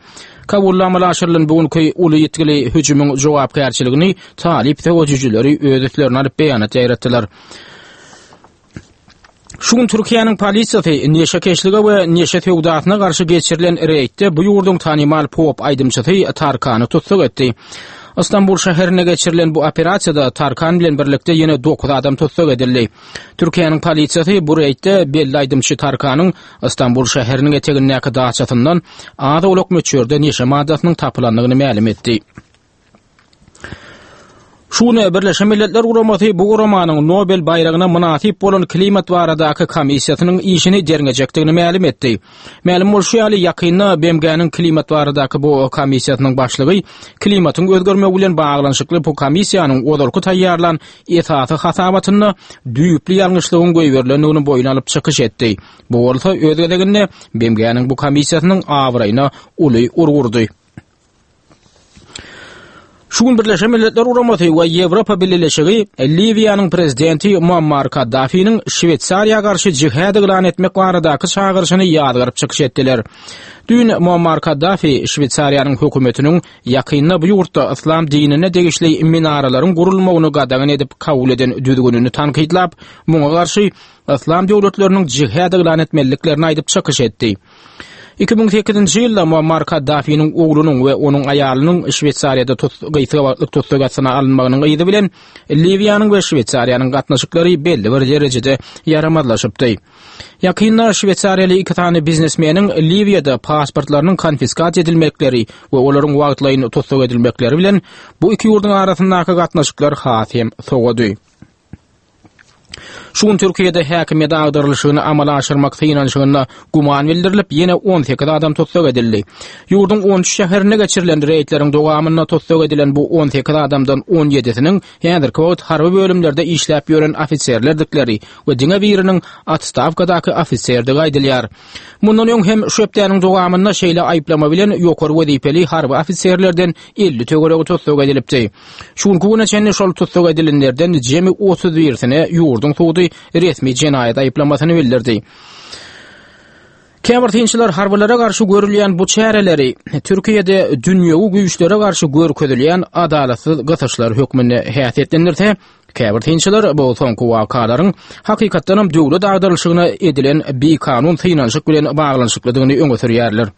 Kabulda amala aşyrylan bu günki uly ýitgili hüjümiň jogapkärçiligini talyp söweşijileri öz üstlerine alyp beýanat ýaýratdylar. Şu gün Türkiýäniň polisiýasy neşekeşlige we neşe söwdasyna garşy geçirilen reýdde bu ýurduň tanymal pop aýdymçysy Tarkany tussag etdi. Istanbul şäherinde geçirilen bu operasiýada Tarkan bilen birlikde ýene dokuz adam tussag edildi. Türkiýäniň polisiýasy bu reýdde belli aýdymçy Tarkanyň Istanbul şäheriniň etegindäki daçasyndan az-owlak möçberde neşe maddasynyň tapylandygyny mälim etdi. Şu gün Birleşen Milletler Guramasy bu guramanyň Nobel baýragyna mynasyp bolan klimat baradaky komissiýasynyň işini derňejekdigini mälim etdi. Mälim bolşy ýaly, ýakynda B M G-niň klimat baradaky bu komissiýasynyň başlygy klimatyň özgermegi bilen baglanyşykly bu komissiýanyň ozalky taýýarlan esasy hasabatynda düýpli ýalňyşlygyň goýberilendigini boýun alyp çykyş etdi. Bu bolsa öz gezeginde B M G-niň bu komissiýasynyň abraýyna uly urgy urdy. Şu gün Birleşen Milletler Guramasy we Ýewropa Bileleşigi Liwiýanyň prezidenti Muammar Kaddafiniň Şweýsariýa garşy jihad yglan etmek baradaky çagyryşyny ýazgaryp çykyş etdiler. Düýn Muammar Kaddafi Şweýsariýanyň hökümetiniň ýakynda bu ýurtda yslam dinine degişli minaralaryň gurulmagyny gadagan edip kabul eden düzgünini tankytlap, muňa garşy yslam döwletleriniň jihad yglan etmeliliklerini aýdyp çykyş etdi. Iki müň sekizinji ýylda Muammar Kaddafiniň oglunyň we onuň aýalynyň Şweýsariýada gysga wagtlyk tussag astyna alynmagynyň yzy bilen Liwiýanyň we Şweýsariýanyň gatnaşyklary belli bir derejede ýaramazlaşypdy. Ýakynda şweýsariýaly iki sany biznesmeniň Liwiýada pasportlarynyň konfiskasiýa edilmekleri we olaryň wagtlaýyn tussag edilmekleri bilen bu iki ýurduň arasyndaky gatnaşyklar has hem sowady. Şu gün Türkiýede häkimiýet agdarylyşygyny amala aşyrmak synanyşygynda güman bildirilip, ýene on sekiz adam tussag edildi. Ýurduň on üç şäherinde geçirilen reýdleriň dowamynda tussag edilen bu on sekiz adamdan on ýedisiniň häzirki wagt harby bölümlerde işläp ýören ofiserlerdikleri we diňe biriniň otstawkadaky ofiserdigi aýdylýar. Mundan öň hem şu hepdäniň dowamynda şeýle aýyplama bilen ýokary wezipeli harby ofiserlerden elli töweregi tussag edilipdi. Şu günki güne çenli şol tussag edilenlerden jemi otuz birisine ýurduň sudy resmi jenaýat aýyplamasyny bildirdi. Käbir synçylar harbylara garşy görülýän bu çäreleri Türkiýede dünýewi güýçlere garşy görkezilýän adalatsyz gysyşlar hökmünde häsiýetlendirse, käbir synçylar bu soňky wakalaryň hakykatdanam döwlet agdarylyşygyna edilen bikanun synanyşyk bilen baglanyşyklydygyny öňe sürýärler.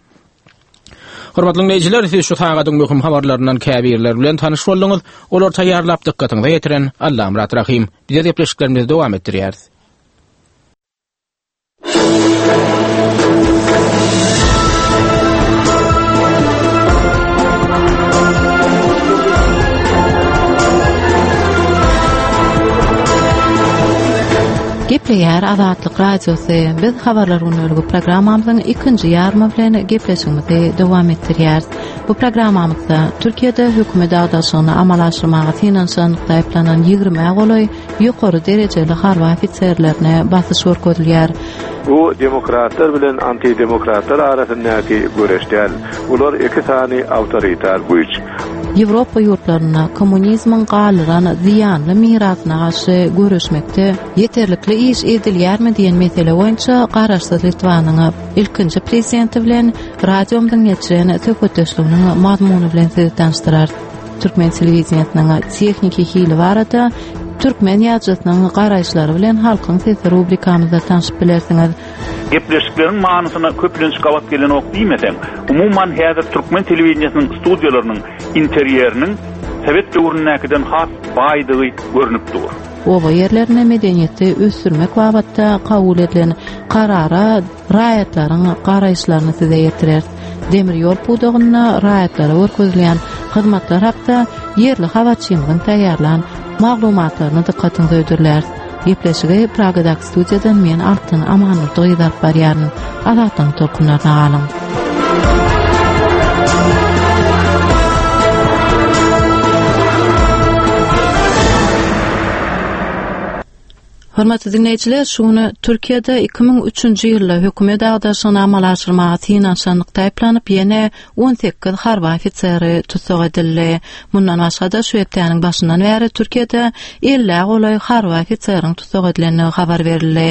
Hormatly diňleýjiler, siz şu sagadyň möhüm habarlaryndan käbirleri bilen tanyş bolduňyz. Olary taýýarlap dykgatyňyza ýetiren Allamyrat Rahym. Biz gepleşiklerimizi dowam etdirýäris.
Gepleýär Azatlyk Radiosy. Biz habarlar günlügi programmamyzyň ikinji ýarymy bilen gepleşigimizi dowam etdirýäris. Bu programmamyzda Türkiýede hökümet agdaşygyny amala aşyrmaga synanyşanlykda aýyplanan ýigrimä golaý ýokary derejeli harby ofiserlerine basyş görkezilýär.
Bu demokratlar bilen antidemokratlar arasyndaky göreş däl. Bular iki sany awtoritar güýç.
Ýewropa ýurtlarynda kommunizmiň galdyran zyýanly mirasyna garşy göreşmekde ýeterlikli iş edilýärmi diýen mesele boýunça Garaşsyz Litwanyň ilkinji prezidenti bilen radiomyzyň geçiren söhbetdeşliginiň mazmuny bilen sizi tanyşdyrarys. Türkmen telewideniýesiniň tehniki hili barada türkmen ýazyjysynyň garaýyşlary bilen Halkyň sesi rubrikamyzda tanşyp bilersiňiz.
Gepleşikleriň manysyna köplenç gabat gelenok diýmeseň, umuman häzir türkmen telewideniýesiniň studiýalarynyň interýeriniň Sowet döwründäkiden has baýdygy görnüp dur.
Oba ýerlerinde medeniýeti ösdürmek babatda kabul edilen karara raýatlaryň garaýyşlaryny size ýetireris. Demir ýol pudagynda raýatlara görkezilýän hyzmatlar hakda ýerli habarçymyzyň taýýarlan maglumatlaryny dykgatyňyza hödürläris. Gepleşigi Pragadaky studiýadan men Altyn Amanurdy gyz alyp barýaryn. Azatlygyň tolkunlaryna galyň. Hormatly diňleýjiler, şu güni Türkiýede iki müň üçünji ýylda hökümet agdaryşygyny amala aşyrmaga synanyşanlykda aýyplanyp, ýene on sekiz harby ofiseri tussag edildi. Mundan başga-da şu hepdäniň başyndan bäri Türkiýede ellä golaý harby ofiseriň tussag edilendigi habar berildi.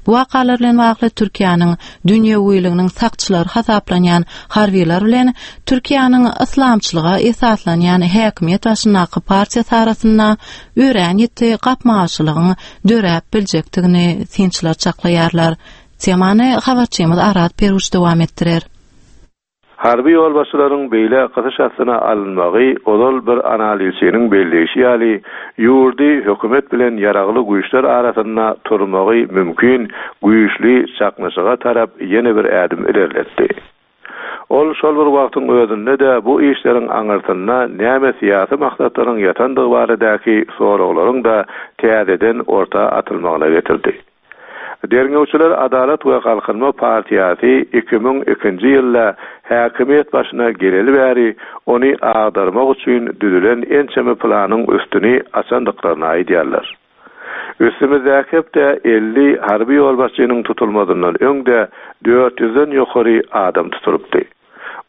Bu wakalar bilen bagly Türkiýäniň dünýewiliginiň sakçylary hasaplanýan harbylar bilen Türkiýäniň yslamçylyga esaslanýan häkimiýet başyndaky partiýasy arasynda örän ýiti gapma-garşylygyň döräp biljekdigini synçylar çaklaýarlar. Temany habarçymyz Arat Peruç dowam etdirer.
Harby ýolbaşçylaryň beýle gysyş astyna alynmagy ozal bir analizçiniň belleýşi ýaly, ýurdy hökümet bilen ýaragly güýçler arasynda turmagy mümkin güýçli çaknyşyga tarap ýene bir ädim ilerletdi. Ol şol bir wagtyň özünde-de bu işleriň aňyrsynda näme syýasy maksatlaryň ýatandygy baradaky soraglaryň da täzeden orta atylmagyna getirdi. Derňewçiler Adalat we Galkynma partiýasy iki müň ikinji ýylda häkimiýet başyna geleli bäri ony agdarmak üçin düzülen ençeme planyň üstüni açandyklaryny aýdýarlar. Üstümizdäki hepde elli harby ýolbaşçynyň tutulmazyndan öňde dört ýüzden ýokary adam tutulypdy.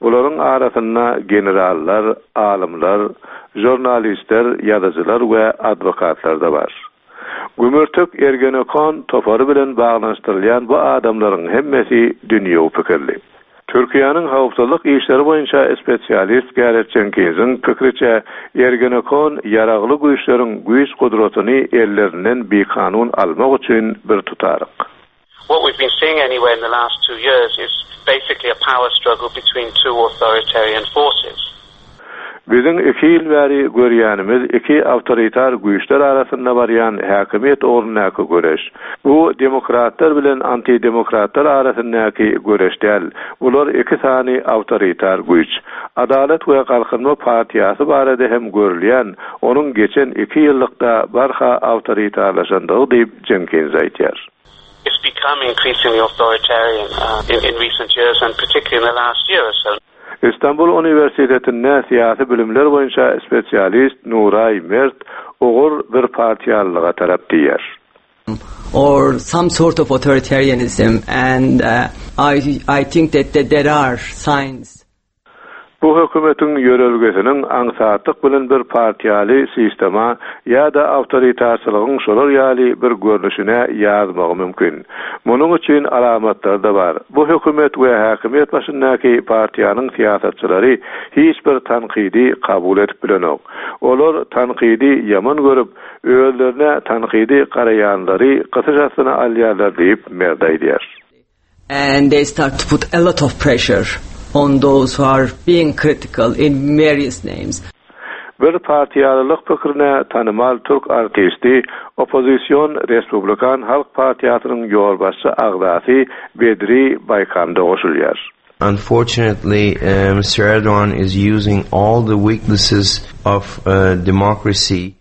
Bularyň arasynda generallar, alymlar, jurnalistler, ýazyjylar we advokatlar da bar. Gümürtik Ergenekon topary bilen baglanyşdyrylýan bu adamlaryň hemmesi dünýewi pikirli. Türkiýäniň howpsuzlyk işleri boýunça spesialist Gareth Jenkinsiň pikriçe Ergenekon ýaragly güýçleriň güýç gudratyny ellerinden bikanun almak üçin bir tutaryk.
What we've been seeing anyway in the last two years is basically a power struggle between two authoritarian forces.
Biziň iki ýyl bäri görýänimiz iki awtoritar güýçler arasynda barýan häkimiýet ugrundaky göreş. Bu demokratlar bilen antidemokratlar arasyndaky göreş däl. Bular iki sany awtoritar güýç. Adalat we Galkynma partiýasy barada hem görülýän, onuň geçen iki ýyllykda barha awtoritarlaşandygy diýip Jenkins aýtýar.
It's become increasingly authoritarian, uh, in, in recent years and particularly in the last year or so.
Istanbul Universitetinde syýasy bilimler boýunça spesialist Nuray Mert ugur bir partiýalylyga tarap diýer.
Or some sort of authoritarianism, and, uh, I, I think that, that there are signs.
Bu hökümetiň ýörelgesiniň aňsatlyk bilen bir partiýaly sistema ýa-da awtoritarçylygyň şolar ýaly bir görnüşine ýazmagy mümkin. Munuň üçin alamatlar da bar. Bu hökümet we häkimiýet başyndaky partiýanyň syýasatçylary hiç bir tankydy kabul edip bilenok. Olar tankydy ýaman görüp, özlerine tankydy garaýanlary gysyş astyna alýarlar diýip Mert aýdýar.
And they start to put a lot of pressure on those who are being critical in various names.
Bir partiýalylyk pikrine tanymal türk artisti, oppozision Respublikan Halk partiýasynyň ýolbaşçy agzasy Bedri Baýkam-da goşulýar.
Unfortunately, uh, Mr. Erdogan is using all the weaknesses of uh, democracy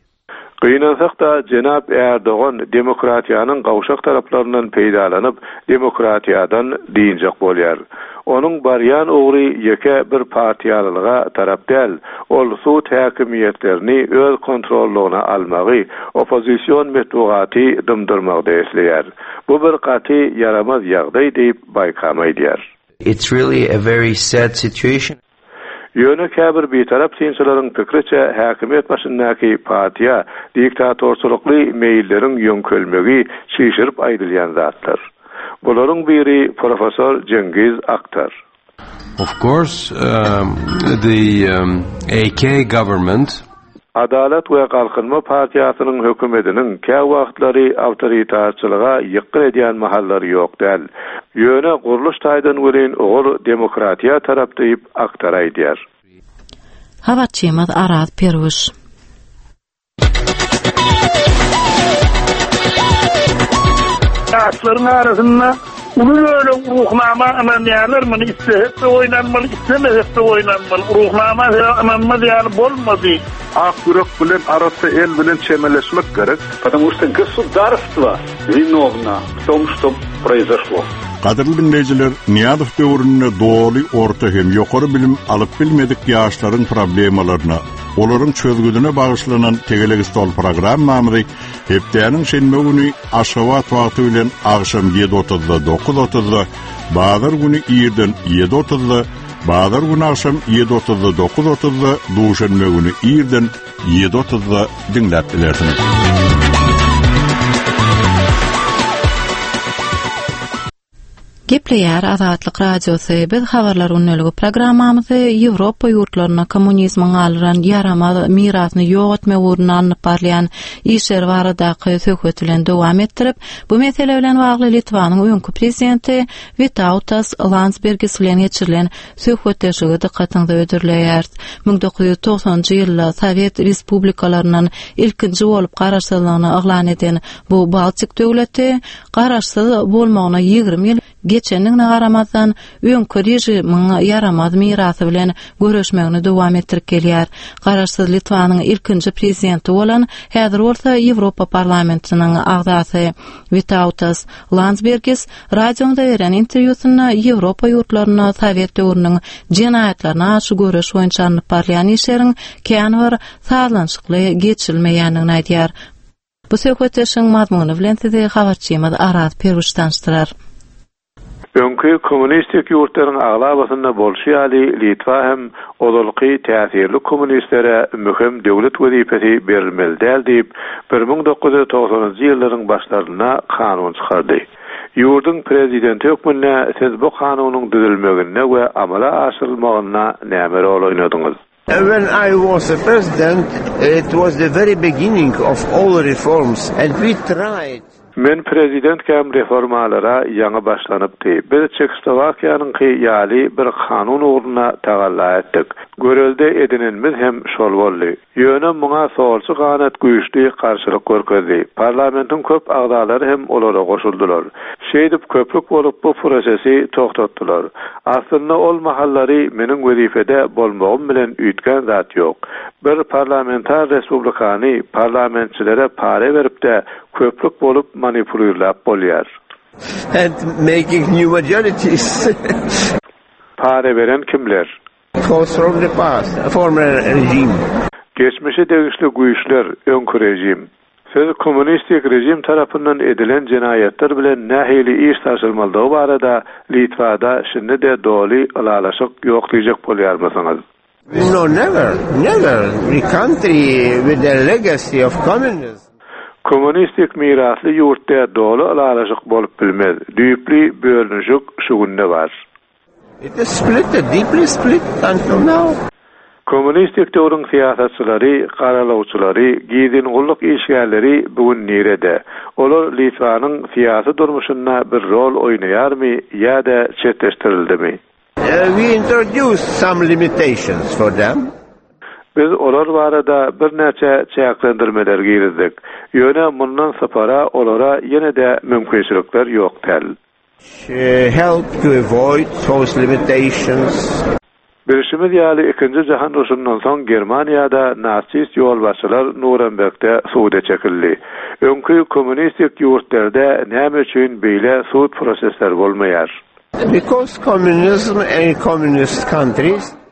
Gynansak-da, jenap Erdogan demokratiýanyň gowşak taraplaryndan peýdalanyp, demokratiýadan dynjak bolýar. Onuň barýan ugry ýeke bir partiýalylyga tarap däl, ol sud häkimiýetlerini öz kontrollygyna almagy, oppozision metbugaty dymdyrmagy isleýär. Bu bir gaty ýaramaz ýagdaý diýip Baýkam aýdýar.
It's really a very sad situation.
Ýöne käbir bitarap synçylaryň pikriçe häkimiýet başyndaky partiýa diktatorçylykly meýilleriň ýöňkelmegi çişirip aýdylýan zatlar. Bularyň biri professor Cengiz Aktar.
Of course, um, the um, AK government
Adalat we Galkynma partiýasynyň hökümetiniň käwagtlary awtoritarçylyga ýykgyn edýän mahallary ýok däl. Ýöne gurluş taýdan welin ugur demokratiýa tarap diýip Aktar aýdýar.
Habarçymyz Araz Perwiş.
Ýaşlaryň arasynda uly bölek Ruhnama ynanýarlar, muny islesek-de oýnanmaly, islemesek-de oýnanmaly. Ruhnama ynanmaz ýaly bolmady.
Ak ýürek bilen arassa el bilen çemeleşmek gerek.
Потому что государство виновно в том, что произошло.
Gadyrly diňleýjiler, Nyýazow döwründe doly orta hem ýokary bilim alyp bilmedik ýaşlaryň problemalaryna, olaryň çözgüdine bagyşlanan Tegelek stol programmamyzy hepdäniň şenbe güni Aşgabat wagty bilen agşam ýedi otuzda dokuz otuzda, bazar güni irden ýedi otuzda, bazar güni agşam ýedi otuzda dokuz otuzda, duşenbe güni irden ýedi otuzda diňläp bilersiňiz.
Gepleýär Azatlyk Radiosy. Biz habarlar gündeligi programmamyzy Ýewropa ýurtlaryna kommunizmiň galdyran ýaramaz mirasyny ýok etmek ugrunda alnyp barylýan işler baradaky söhbet bilen dowam etdirip, bu mesele bilen bagly Litwanyň öňki prezidenti Vitautas Landsbergis bilen geçirilen söhbetdeşligi dykgatyňyza hödürleýäris. Müň dokuz ýüz togsanjy ýylda Sowet Respublikalaryndan ilkinji bolup garaşsyzlygyny yglan eden bu Baltik döwleti garaşsyz bolmagyna ýigrimi ýyl geçendigine garamazdan öňki režimiň ýaramaz mirasy bilen göreşmegini dowam etdirip gelýär. Garaşsyz Litwanyň ilkinji prezidenti bolan, häzir bolsa Ýewropa parlamentiniň agzasy Vitautas Landsbergis radiomyza beren interwýusynda Ýewropa ýurtlaryna Sowet döwrüniň jenaýatlaryna garşy göreş boýunça alnyp barylýan işleriň kän bir sazlanyşykly geçirilmeýändigini aýdýar. Bu söhbetdeşligiň mazmuny bilen sizi habarçymyz Araz Perwiş tanyşdyrar.
Öňki kommunistik ýurtlaryň aglabasynda bolşy ýaly Litwa hem ozalky täsirli kommunistlere möhüm döwlet wezipesi berilmeli däl diýip, bir müň dokuz ýüz togsanynjy ýyllaryň başlarynda kanun çykardy. Ýurduň prezidenti hökmünde siz bu kanunyň düzülmeginde we amala aşyrylmagynda näme rol oýnadyňyz?
When I was a president, it was the very beginning of all reforms and we tried.
Men prezidentkäm reformalara ýaňy başlanypdy. Biz Çehoslowakiýanyňky ýaly bir kanun ugruna tagalla etdik. Görelde edinenimiz hem şol boldy. Ýöne muňa solçy ganat güýçli garşylyk görkezdi. Parlamentiň köp agzalary hem olara goşuldylar. Şeýdip köplük bolup bu prosesi togtatdylar. Aslynda ol mahallary meniň wezipede bolmagym bilen üýtgän zat ýok. Bir parlamentar respublikany parlamentçilere pare berip-de köplük bolup manipulirläp bolýar.
And making new majorities.
Pare beren kimler?
Force from the past, former regime.
Geçmişe degişli güýçler, öňki rejim. Siz kommunistik rejim tarapyndan edilen jenaýatlar bilen nähili iş taşylmalydygy barada Litwada şindi-de doly ylalaşyk ýok diýjek bolýarmysyňyz?
No, never, never. The country with the legacy of communism.
Kommunistik mirasly ýurtda doly ylalaşyk bolup bilmez. Düýpli bölünişik şu günde bar.
It is split, deeply split until now.
Kommunistik döwrüň syýasatçylary, garalawçylary, gizlin gulluk işgärleri bugün nirede? Olar Litwanyň syýasy durmuşynda bir rol oýnaýarmy ýa-da çetleşdirildimi?
Uh, we introduced some limitations for them.
Biz olar barada birnäçe çäklendirmeler girizdik. Ýöne mundan sypara olara ýene-de mümkinçilikler ýok däl.
Help to avoid those limitations.
Bilşimiz ýaly ikinji jahan urşundan soň Germaniýada nasist ýolbaşçylar Nurembergde suda çekildi. Öňki kommunistik ýurtlarda näme üçin beýle sud prosesleri bolmaýar?
Because communism and communist countries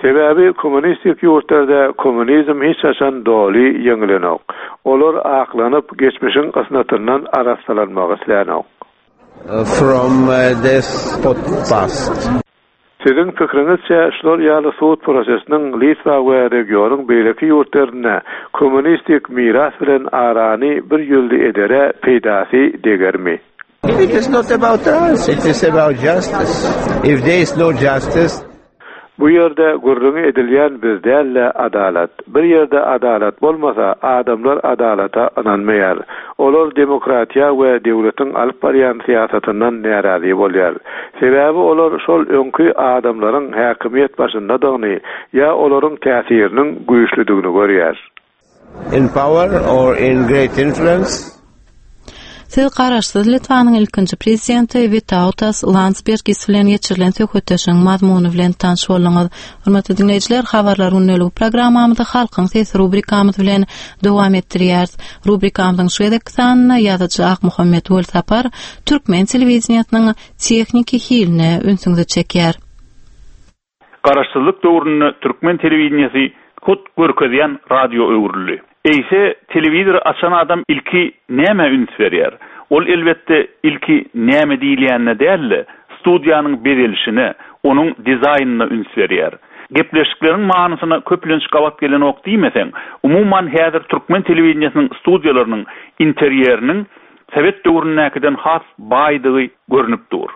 Sebäbi kommunistik ýurtlarda kommunizm hiç haçan doly ýeňilenok. Olar aklanyp geçmişiň ysnatyndan arassalanmagy islänok.
From this past.
Siziň pikiriňizçe şular ýaly sud prosesiniň Litwa we regionyň beýleki ýurtlarynda kommunistik miras bilen arany bir ýüzli edere peýdasy degermi?
It is not about us, it is about justice. If there is no justice,
Bu ýerde gürrüňi edilýän biz däl-de adalat. Bir ýerde adalat bolmasa, adamlar adalata ynanmaýar. Olar demokratiýa we döwletiň alyp barýan syýasatyndan närazy bolýar. Sebäbi olar şol öňki adamlaryň häkimiýet başyndadygyny ýa olaryň täsiriniň güýçlüdigini görýär.
In power or in great influence.
Siz Garaşsyz Litwanyň ilkinji prezidenti Witautas Landsbergis bilen geçirilen söhbetdeşligiň mazmuny bilen tanyş bolduňyz. Hormatly diňleýjiler, habarlar gündeligi programmamyzy Halkyň sesi rubrikamyz bilen dowam etdirýäris. Rubrikamyzyň şu gezekki sanynda ýazyjy Akmuhammet Welsapar türkmen telewideniýesiniň tehniki hiline ünsüňizi çekýär.
Garaşsyzlyk döwründe türkmen telewideniýesi hut görkezýän radio öwrüldi. Eýse telewizory açan adam ilki nämä üns berýär? Ol elbetde ilki näme diýilýänine däl-de, studiýanyň bezelişine, onuň dizaýnyna üns berýär. Gepleşikleriň manysyna köplenç gabat gelenok diýmeseň, umuman häzir türkmen telewideniýesiniň studiýalarynyň interýeriniň sowet döwründäkiden has baýdygy görnüp dur.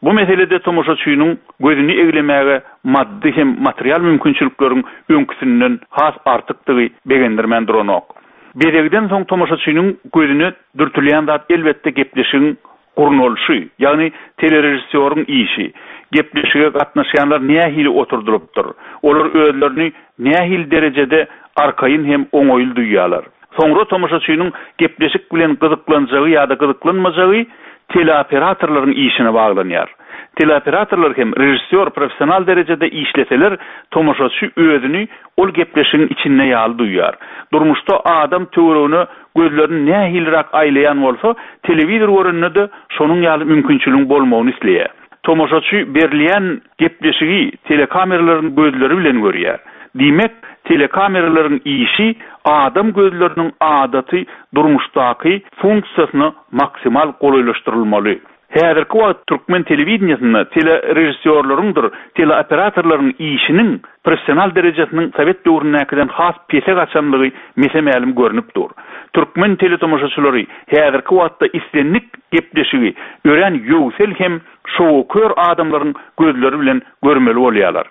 Bu meselede tomaşaçynyň gözüni eglemäge maddy hem material mümkinçilikleriň öňküsinden has artykdygy begendirmän duranok. Bezegden soň tomaşaçynyň gözüne dürtülýän zat elbetde gepleşigiň gurnalyşy, ýagny telerežissýoryň işi. Gepleşige gatnaşýanlar nähili oturdylypdyr? Olar özlerini nähili derejede arkaýyn hem oňaýly duýýarlar? Soňra tomaşaçynyň gepleşik bilen gyzyklanjagy ýa-da gyzyklanmajagy teleoperatorlaryň işine baglanýar. Teleoperatorlar hem režissýor professional derejede işleseler, tomaşaçy özüni ol gepleşigiň içinde ýaly duýýar. Durmuşda adam töweregine gözlerini nähiliräk aýlaýan bolsa, telewizor görende-de şonuň ýaly mümkinçiligiň bolmagyny isleýär. Tomaşaçy berilýän gepleşigi telekameralaryň gözleri bilen görýär. Diýmek, telekameralaryň işi adam gözleriniň adaty durmuşdaky funksiýasyna maksimal golaýlaşdyrylmaly. Häzirki wagt türkmen telewideniýesinde telerežissýorlaryňdyr teleoperatorlaryň işiniň professional derejesiniň sowet döwründäkiden has pese gaçanlygy mese-mälim görnüp dur. Türkmen teletomaşaçylary häzirki wagtda islendik gepleşigi örän ýöwsel hem şowkör adamlaryň gözleri bilen görmeli bolýarlar.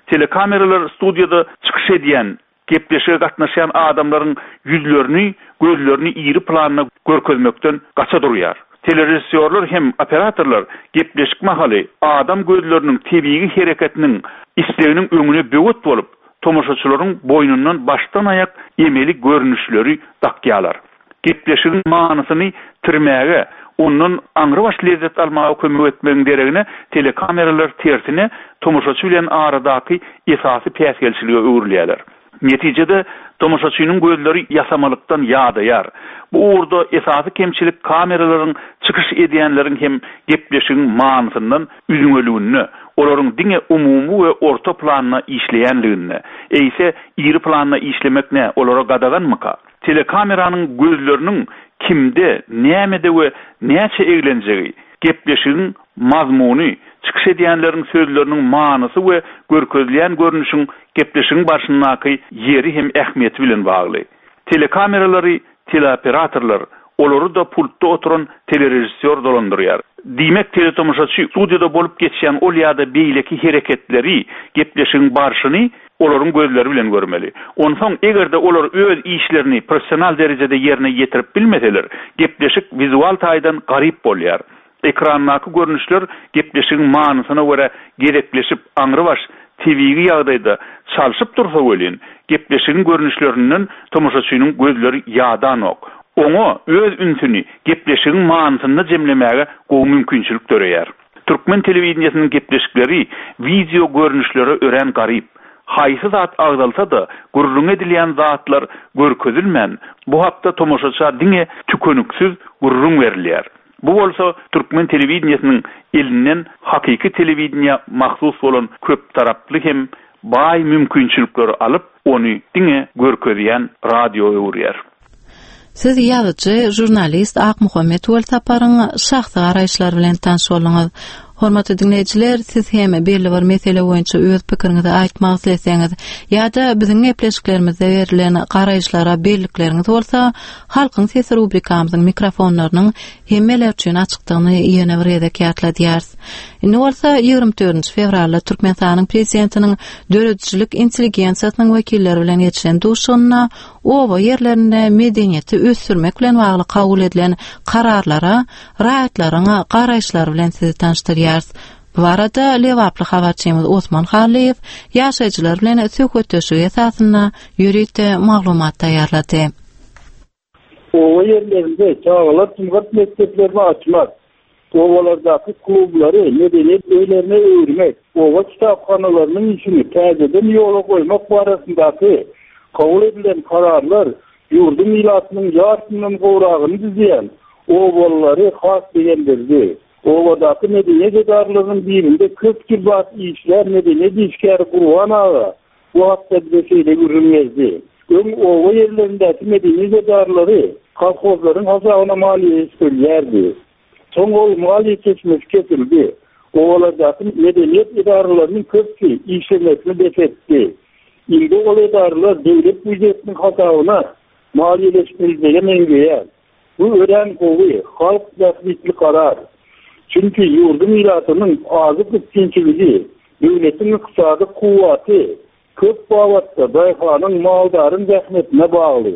Telekameralar studiýada çykyş edýän, gepleşige gatnaşýan adamlaryň ýüzlerini, gözlerini iri planda görkezmekden gaça durýar. Telerežissýorlar hem operatorlar gepleşik mahaly adam gözleriniň tebigy hereketiniň isleginiň öňüne böwet bolup, tomaşaçylaryň boýnundan başdan aýak emeli görnüşleri dakýarlar. Gepleşigiň manysyny tirmäge, ondan aňrybaş lezzet almaga kömek etmegiň deregine telekameralar tersine tomaşaçy bilen aradaky esasy päsgelçilige öwrülýärler. Netijede tomaşaçynyň gözleri ýasamalykdan ýadaýar. Bu ugurda esasy kemçilik kameralaryň çykyş edýänleriň hem gepleşigiň manysyndan üzňeliginde, olaryň diňe umumy we orta planda işleýänliginde. Eýse iri planda işlemek ne, olara gadaganmyka? Telekameranyň gözleriniň kimde, nämede we näçe eglenjegi, gepleşigiň mazmuny, çykyş edýänleriň sözleriniň manysy we görkezilýän görnüşiň gepleşigiň barşyndaky ýeri hem ähmiýeti bilen bagly. Telekameralary teleoperatorlar, olary-da pultda oturan telerežissýor dolandyrýar. Diýmek, teletomaşaçy studiýada bolup geçýän ol ýa-da beýleki hereketleri, gepleşigiň barşyny olaryň gözleri bilen görmeli. Onsoň eger-de olar öz işlerini professional derejede ýerine ýetirip bilmeseler, gepleşik wizual taýdan garyp bolýar. Ekrandaky görnüşler gepleşigiň manysyna görä gezekleşip aňrybaş tebigy ýagdaýda çalşyp dursa welin, gepleşigiň görnüşlerinden tomaşaçynyň gözleri ýadanok. Oňa öz ünsüni gepleşigiň manysynda jemlemäge gowy mümkinçilik döreýär. Türkmen telewideniýesiniň gepleşikleri wideo görnüşlere örän garyp. Haýsy zat agzalsa-da, gürrüň edilýän zatlar görkezilmän, bu hakda tomaşaça diňe tükeniksiz gürrüň berilýär. Bu bolsa türkmen telewideniýesiniň elinden hakyky telewideniýä mahsus bolan köptaraply hem baý mümkinçilikleri alyp, ony diňe görkezýän radio öwürýär.
Siz ýazyjy, žurnalist Akmuhammet Welsaparyň şahsy garaýyşlary bilen tanyş bolduňyz. Hormatly diňleýjiler, siz hem belli bir mesele boýunça öz pikiriňizi aýtmak isleseňiz ýa-da biziň gepleşiklerimizde berlen garaýyşlara bellikleriňiz bolsa, Halkyň Sesi rubrikamyzyň mikrofonlarynyň hemmeler üçin açykdygyny ýene bir gezek ýatladýarys. Indi bolsa ýigrimi dördünji fewralda Türkmenistanyň prezidentiniň döredijilik intelligensiýasynyň wekilleri bilen geçiren duşuşygynda oba ýerlerinde medeniýeti ösdürmek bilen bagly kabul edilen kararlara raýatlaryň garaýyşlary bilen sizi tanyşdyrýarys. Bu barada Lebaply habarçymyz Osman Hallyýew ýaşaýjylar bilen söhbetdeşlik esasynda ýörite maglumat taýýarlady.
Oba ýerlerinde çagalar sungat mekdeplerini açmak, obalardaky klublary medeniýet öýlerine öwürmek, oba kitaphanalarynyň işini täzeden ýola goýmak barasyndaky kabul edilen kararlar ýurduň ilatynyň ýarysyndan gowragyny düzýän obalary has begendirdi. Obadaky medeniýet edaralarynyň birinde köp ýyl bat işlär medeniýet işgäri Gurban aga bu hakda bize şeýle gürrüň berdi. Öň oba ýerlerindäki medeniýet edaralary kolhozlaryň hasabyna maliýeleşdirilýärdi. Soň ol maliýe çeşmesi kesildi. Obalardaky medeniýet edaralarynyň köpüsi işlemesini bes etdi. Indi ol edaralar döwlet býujetiniň hasabyna maliýeleşdirilmege meňzeýär. Bu örän gowy, halk bähbitli karar. Çünki ýurduň ilatynyň azyk üpjünçiligi, döwletiň ykdysady kuwwaty köp babatda daýhanyň, maldaryň zähmetine bagly.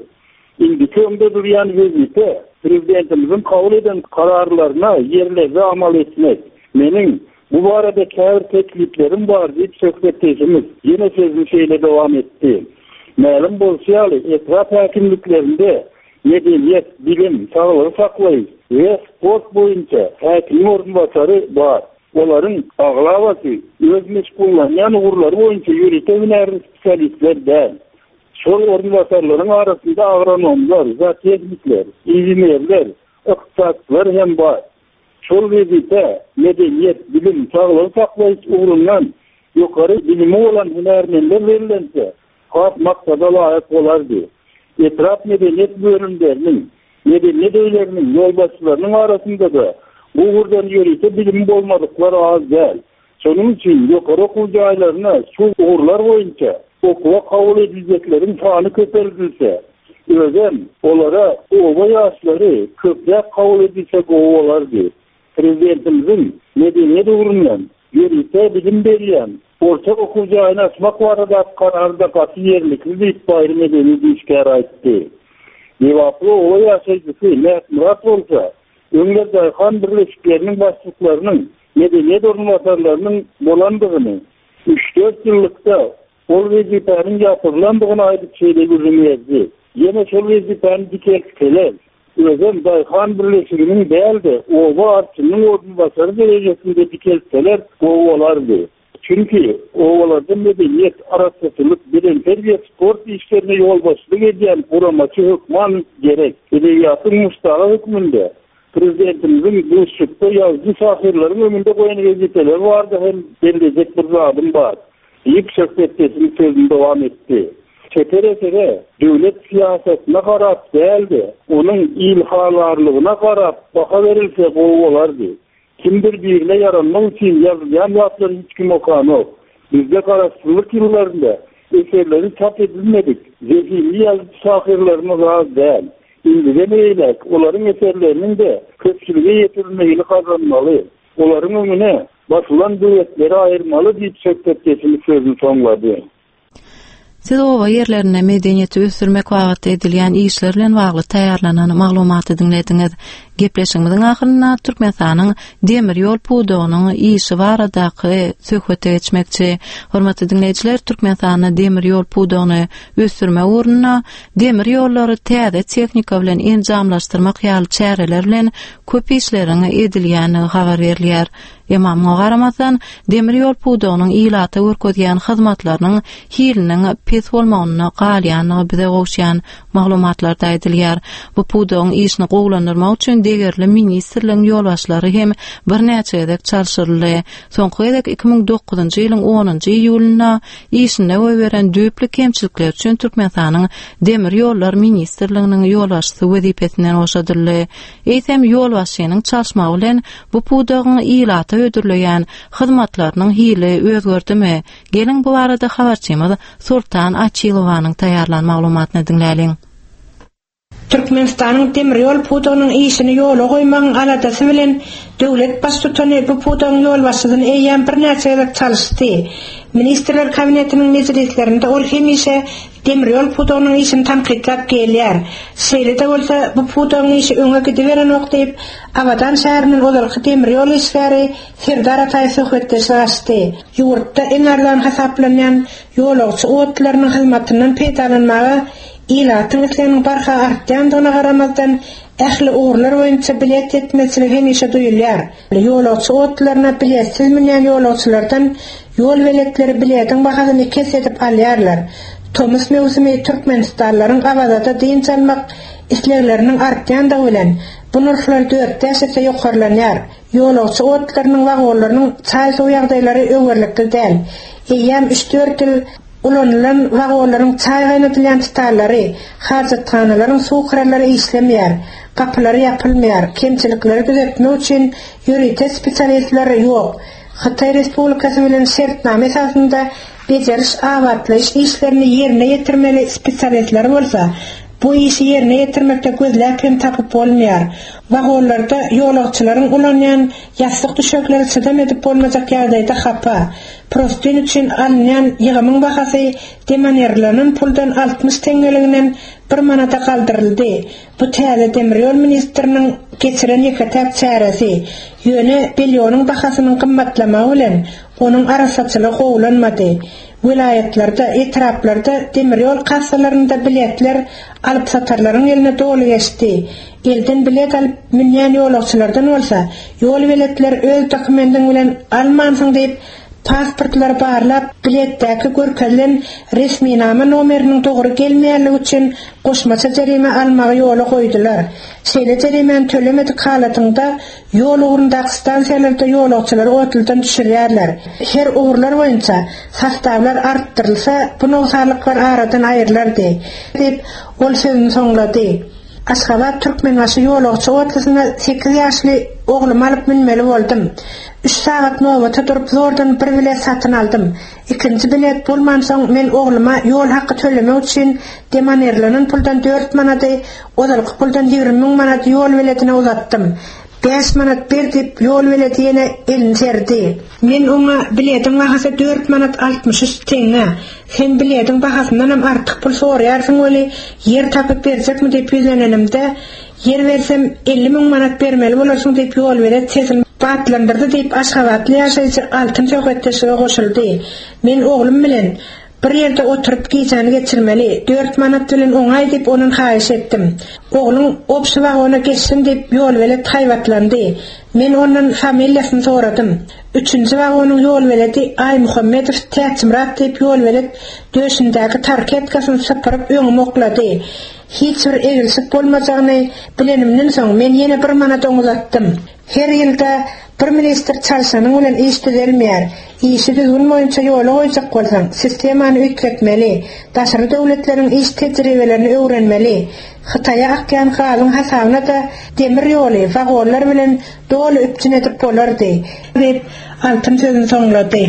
Indiki öňde durýan wezipe prezidentimiziň kabul eden kararlaryna ýerlerde amal etmek. Meniň bu barada käbir tekliplerim bar diýip söhbetdeşimiz ýene sözüni şeýle dowam etdi. Mälim bolşy ýaly, etrap häkimliklerinde medeniýet, bilim, saglygy saklaýyş we sport boýunça häkimiň orunbasary bar. Olaryň aglabasy öz meşgullanýan ugurlary boýunça ýörite hünärli spesialistler däl. Şol orunbasarlaryň arasynda agronomlar, zootehnikler, inženerler, ykdysatçylar hem bar. Şol wezipe medeniýet, bilim, saglygy saklaýyş ugrundan ýokary bilimi bolan hünärmenler berilense, has maksada laýyk bolardy. Etrap medeniýet bölümleriniň, medeniýet öýleriniň ýolbaşçylarynyň arasynda da bu ugurdan ýörite bilimi bolmadyklar az däl. Şonuň üçin ýokary okuw jaýlaryna şu ugurlar boýunça okuwa kabul ediljekleriň sany köpeldilse, özem olara oba ýaşlary köpräk kabul edilse gowy bolardy. Prezidentimiziň medeniýet ugrundan ýörite bilim berýän orta okuw jaýyny açmak barada karary-da gaty ýerlikli diýip baýry medeniýet işgäri aýtdy. Lebaply oba ýaşaýjysy Mätmyrat bolsa, öňler daýhan birleşikleriniň başlyklarynyň medeniýet orunbasarlarynyň bolandygyny, üç-dört ýyllykda ol wezipäniň ýapyrylandygyny aýdyp şeýle gürrüň berdi. Ýene şol wezipäni dikeltseler, özem daýhan birleşiginiň däl-de oba arçynyň orunbasary derejesinde dikeltseler gowy bolardy. Çünki obalarda medeniýet, arassaçylyk, bedenterbiýe, sport işlerine ýolbaşçylyk edýän guramaçy hökman gerek. Edebiýatyň muşdagy hökmünde prezidentimiziň duşuşykda ýazyjy şahyrlaryň öňünde goýan wezipeleri bardy hem bellejek bir zadym bar diýip söhbetdeşimiz sözüni dowam etdi. Çeper esere döwlet syýasatyna garap däl-de, onuň ilhalarlygyna garap baha berilse gowy bolardy. Kimdir birine ýaranmak üçin ýazylýan zatlary hiç kim okanok. Bizde garaşsyzlyk ýyllarynda eserleri çap edilmedik, zehinli ýazyjy şahyrlarymyz az däl. Indiden eýläk olaryň eserleriniň de köpçülige ýetirilmegini gazanmaly. Olaryň öňüne basylan döwletleri aýyrmaly diýip söhbetdeşimiz sözüni soňlady.
Siz oba ýerlerinde medeniýeti ösdürmek babatda edilýän işler bilen bagly taýýarlanan maglumaty diňlediňiz. Gepleşigimiziň ahyrynda Türkmenistanyň demir ýol pudagynyň işi baradaky söhbete geçmekçi. Hormatly diňleýjiler, Türkmenistanda demir ýol pudagyny ösdürmek ugrunda demir ýollary täze tehnika bilen enjamlaşdyrmak ýaly çäreler bilen köp işleriň edilýändigi habar berilýär. Emma muňa garamazdan, demir ýol pudagynyň ilata görkezýän hyzmatlarynyň hiliniň pes bolmagynda galýandygy bize gowuşýan maglumatlarda aýdylýar. Bu pudagyň işini gowulandyrmak üçin degerli ministrligiň ýolbaşçylary hem birnäçe gezek çalşyryldy. Soňky gezek iki müň dokuzynjy ýylyň onunjy iýulynda işinde goýberen düýpli kemçilikleri üçin Türkmenistanyň Demir ýollar ministrliginiň ýolbaşçysy wezipesinden boşadyldy. Eýsem, ýolbaşçynyň çalyşmagy bilen bu pudagyň ilata hödürleýän hyzmatlarynyň hili özgerdimi? Geliň, bu barada habarçymyz Sultan Açylowanyň taýýarlan maglumatyny diňläliň.
Türkmenistanyň demir ýol pudagynyň işini ýola goýmagyň aladasy bilen döwlet Baştutany bu pudagyň ýolbaşçysyny eýýäm birnäçe gezek çalyşdy. Ministrler Kabinetiniň mejlislerinde ol hemişe demir ýol pudagynyň işini tankytlap gelýär. Şeýle-de bolsa, bu pudagyň işi öňe gidiberenok diýip, Abadan şäherinden ozalky demir ýol işgäri Serdar Ataýew söhbetdeşlik açdy. Ýurtda iň arzan hasaplanýan ýolagçy otlylarynyň hyzmatyndan peýdalanmaga ilatyň isleginiň barha artýandygyna garamazdan, ähli ugurlar boýunça bilet ýetmezçiligi hemişe duýulýar. Ýolagçy otlylaryna biletsiz münýän ýolagçylardan ýol beletleri biletiň bahasyny iki esse edip alýarlar. Tomus möwsümi türkmenistanlylaryň Awazada dynç almak islegleriniň artýandygy bilen, bu nyrhlar dört-bäş esse ýokarlanýar. Ýolagçy otlylarynyň wagonlarynyň çaý-suw ýagdaýlary öwerlikli däl. Eýýäm üç-dört ýyl Ulanylan wagonlaryň çaý gaýnadylýan stallary, hajathanalaryň suw krallary işlemeýär, gapylary ýapylmaýar, kemçilikleri düzetmek üçin ýörite spesialistler ýok. Hytaý Respublikasy bilen şertnama esasynda bejeriş-abatlaýyş işlerini ýerine ýetirmeli spesialistleri bolsa, bu işi ýerine ýetirmekde gözläp hem tapyp bolmaýar. Wagonlarda ýolagçylaryň ulanýan ýassyk-düşekleri çydam edip bolmajak ýagdaýda hapa. Prostyn üçin alynýan ýygymyň bahasy demonirlenen puldan altmyş teňňeliginden bir manada galdyryldy. Bu täze demir ýol ministriniň geçiren ýeke-täk çäresi. Ýöne belýonyň bahasynyň gymmatlamagy bilen onuň arassaçylygy gowulanmady. Welaýatlarda, etraplarda demir ýol kassalarynda biletler alypsatarlaryň eline doly geçdi. Elden bilet alyp münýän ýolagçylardan bolsa, ýol beletleri öz dokumendiň bilen almansyň diýip, pasportlary barlap, biletdäki görkezilen resminama nomeriniň dogry gelmeýänligi üçin goşmaça jerime almagy ýola goýdular. Şeýle jerimäni tölemedik halatyňda, ýol ugrundaky stansiýalarda ýolagçylary otludan düşürýärler. Her ugurlar boýunça sostawlar artdyrylsa, bu nogsanlyklar aradan aýrylardy, diýip, ol sözüni soňlady. Aşgabat, Türkmenbaşy ýolagçy otlusyna sekiz ýaşly oglumy alyp münmeli boldum. Üç sagat nobata durup zordan bir bilet satyn aldym. Ikinji bilet bolmansoň men ogluma ýol haky tölemek üçin demonirlenen puldan dört manady, ozalky puldan ýigrimi müň manady ýol biletine uzatdym. Bäş manat ber diýip ýol beledi ýene elini serdi. Men oňa bilediň bahasy dört manat altmyş üç teňňe, sen bilediň bahasyndanam artyk pul soraýarsyň weli ýer tapyp berjekmi diýip ýüzlenenimde, ýer bersem elli müň manat bermeli bolarsyň diýip ýolbelet sesini batlandyrdy diýip aşgabatly ýaşaýjy Altyn söhbetdeşlige goşuldy. Men oglum bilen Bir ýerde oturyp gijäni geçirmeli, dört manat bilen oňaý diýip ondan haýyş etdim. Ogluň obşy wagona geçsin diýip ýolbelet haýbatlandy. Men ondan familiýasyny soradym. Üçünji wagonyň ýolbeledi Aýmuhammedow Täçmyrat diýip ýolbelet döşündäki tarketkasyny sypyryp öňüme oklady. Hiç bir egilşik bolmajagyny bilenimden soň men ýene bir manat oňa uzatdym. Her ýylda bir ministr çalşanyň bilen iş düzelmeýär. Işi düzgün boýunça ýola goýjak bolsaň, sistemany üýtgetmeli, daşary döwletleriň iş tejribelerini öwrenmeli. Hytaýa akýan gazyň hasabyna-da demir ýoly wagonlar bilen doly üpjün edip bolardy. Diýip, Altyn sözüni soňlady.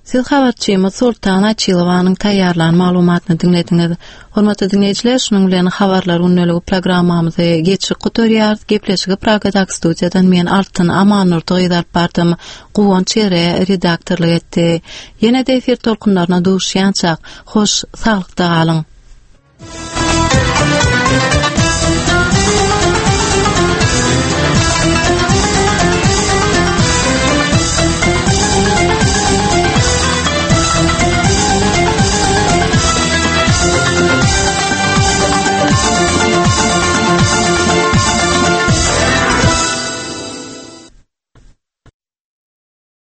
Siz habarçymyz Sultan Açylowanyň taýýarlan maglumatyny diňlediňiz. Hormatly diňleýjiler, şunuň bilen habarlar gündeligi programmamyzy geçip gutarýarys. Gepleşigi Pragadaky studiýadan men Altyn Amannurdy gyz alyp bardym. Guwanç Ere redaktorlyk etdi. Ýene-de efir tolkunlaryna duşýançak, hoş saglykda galyň.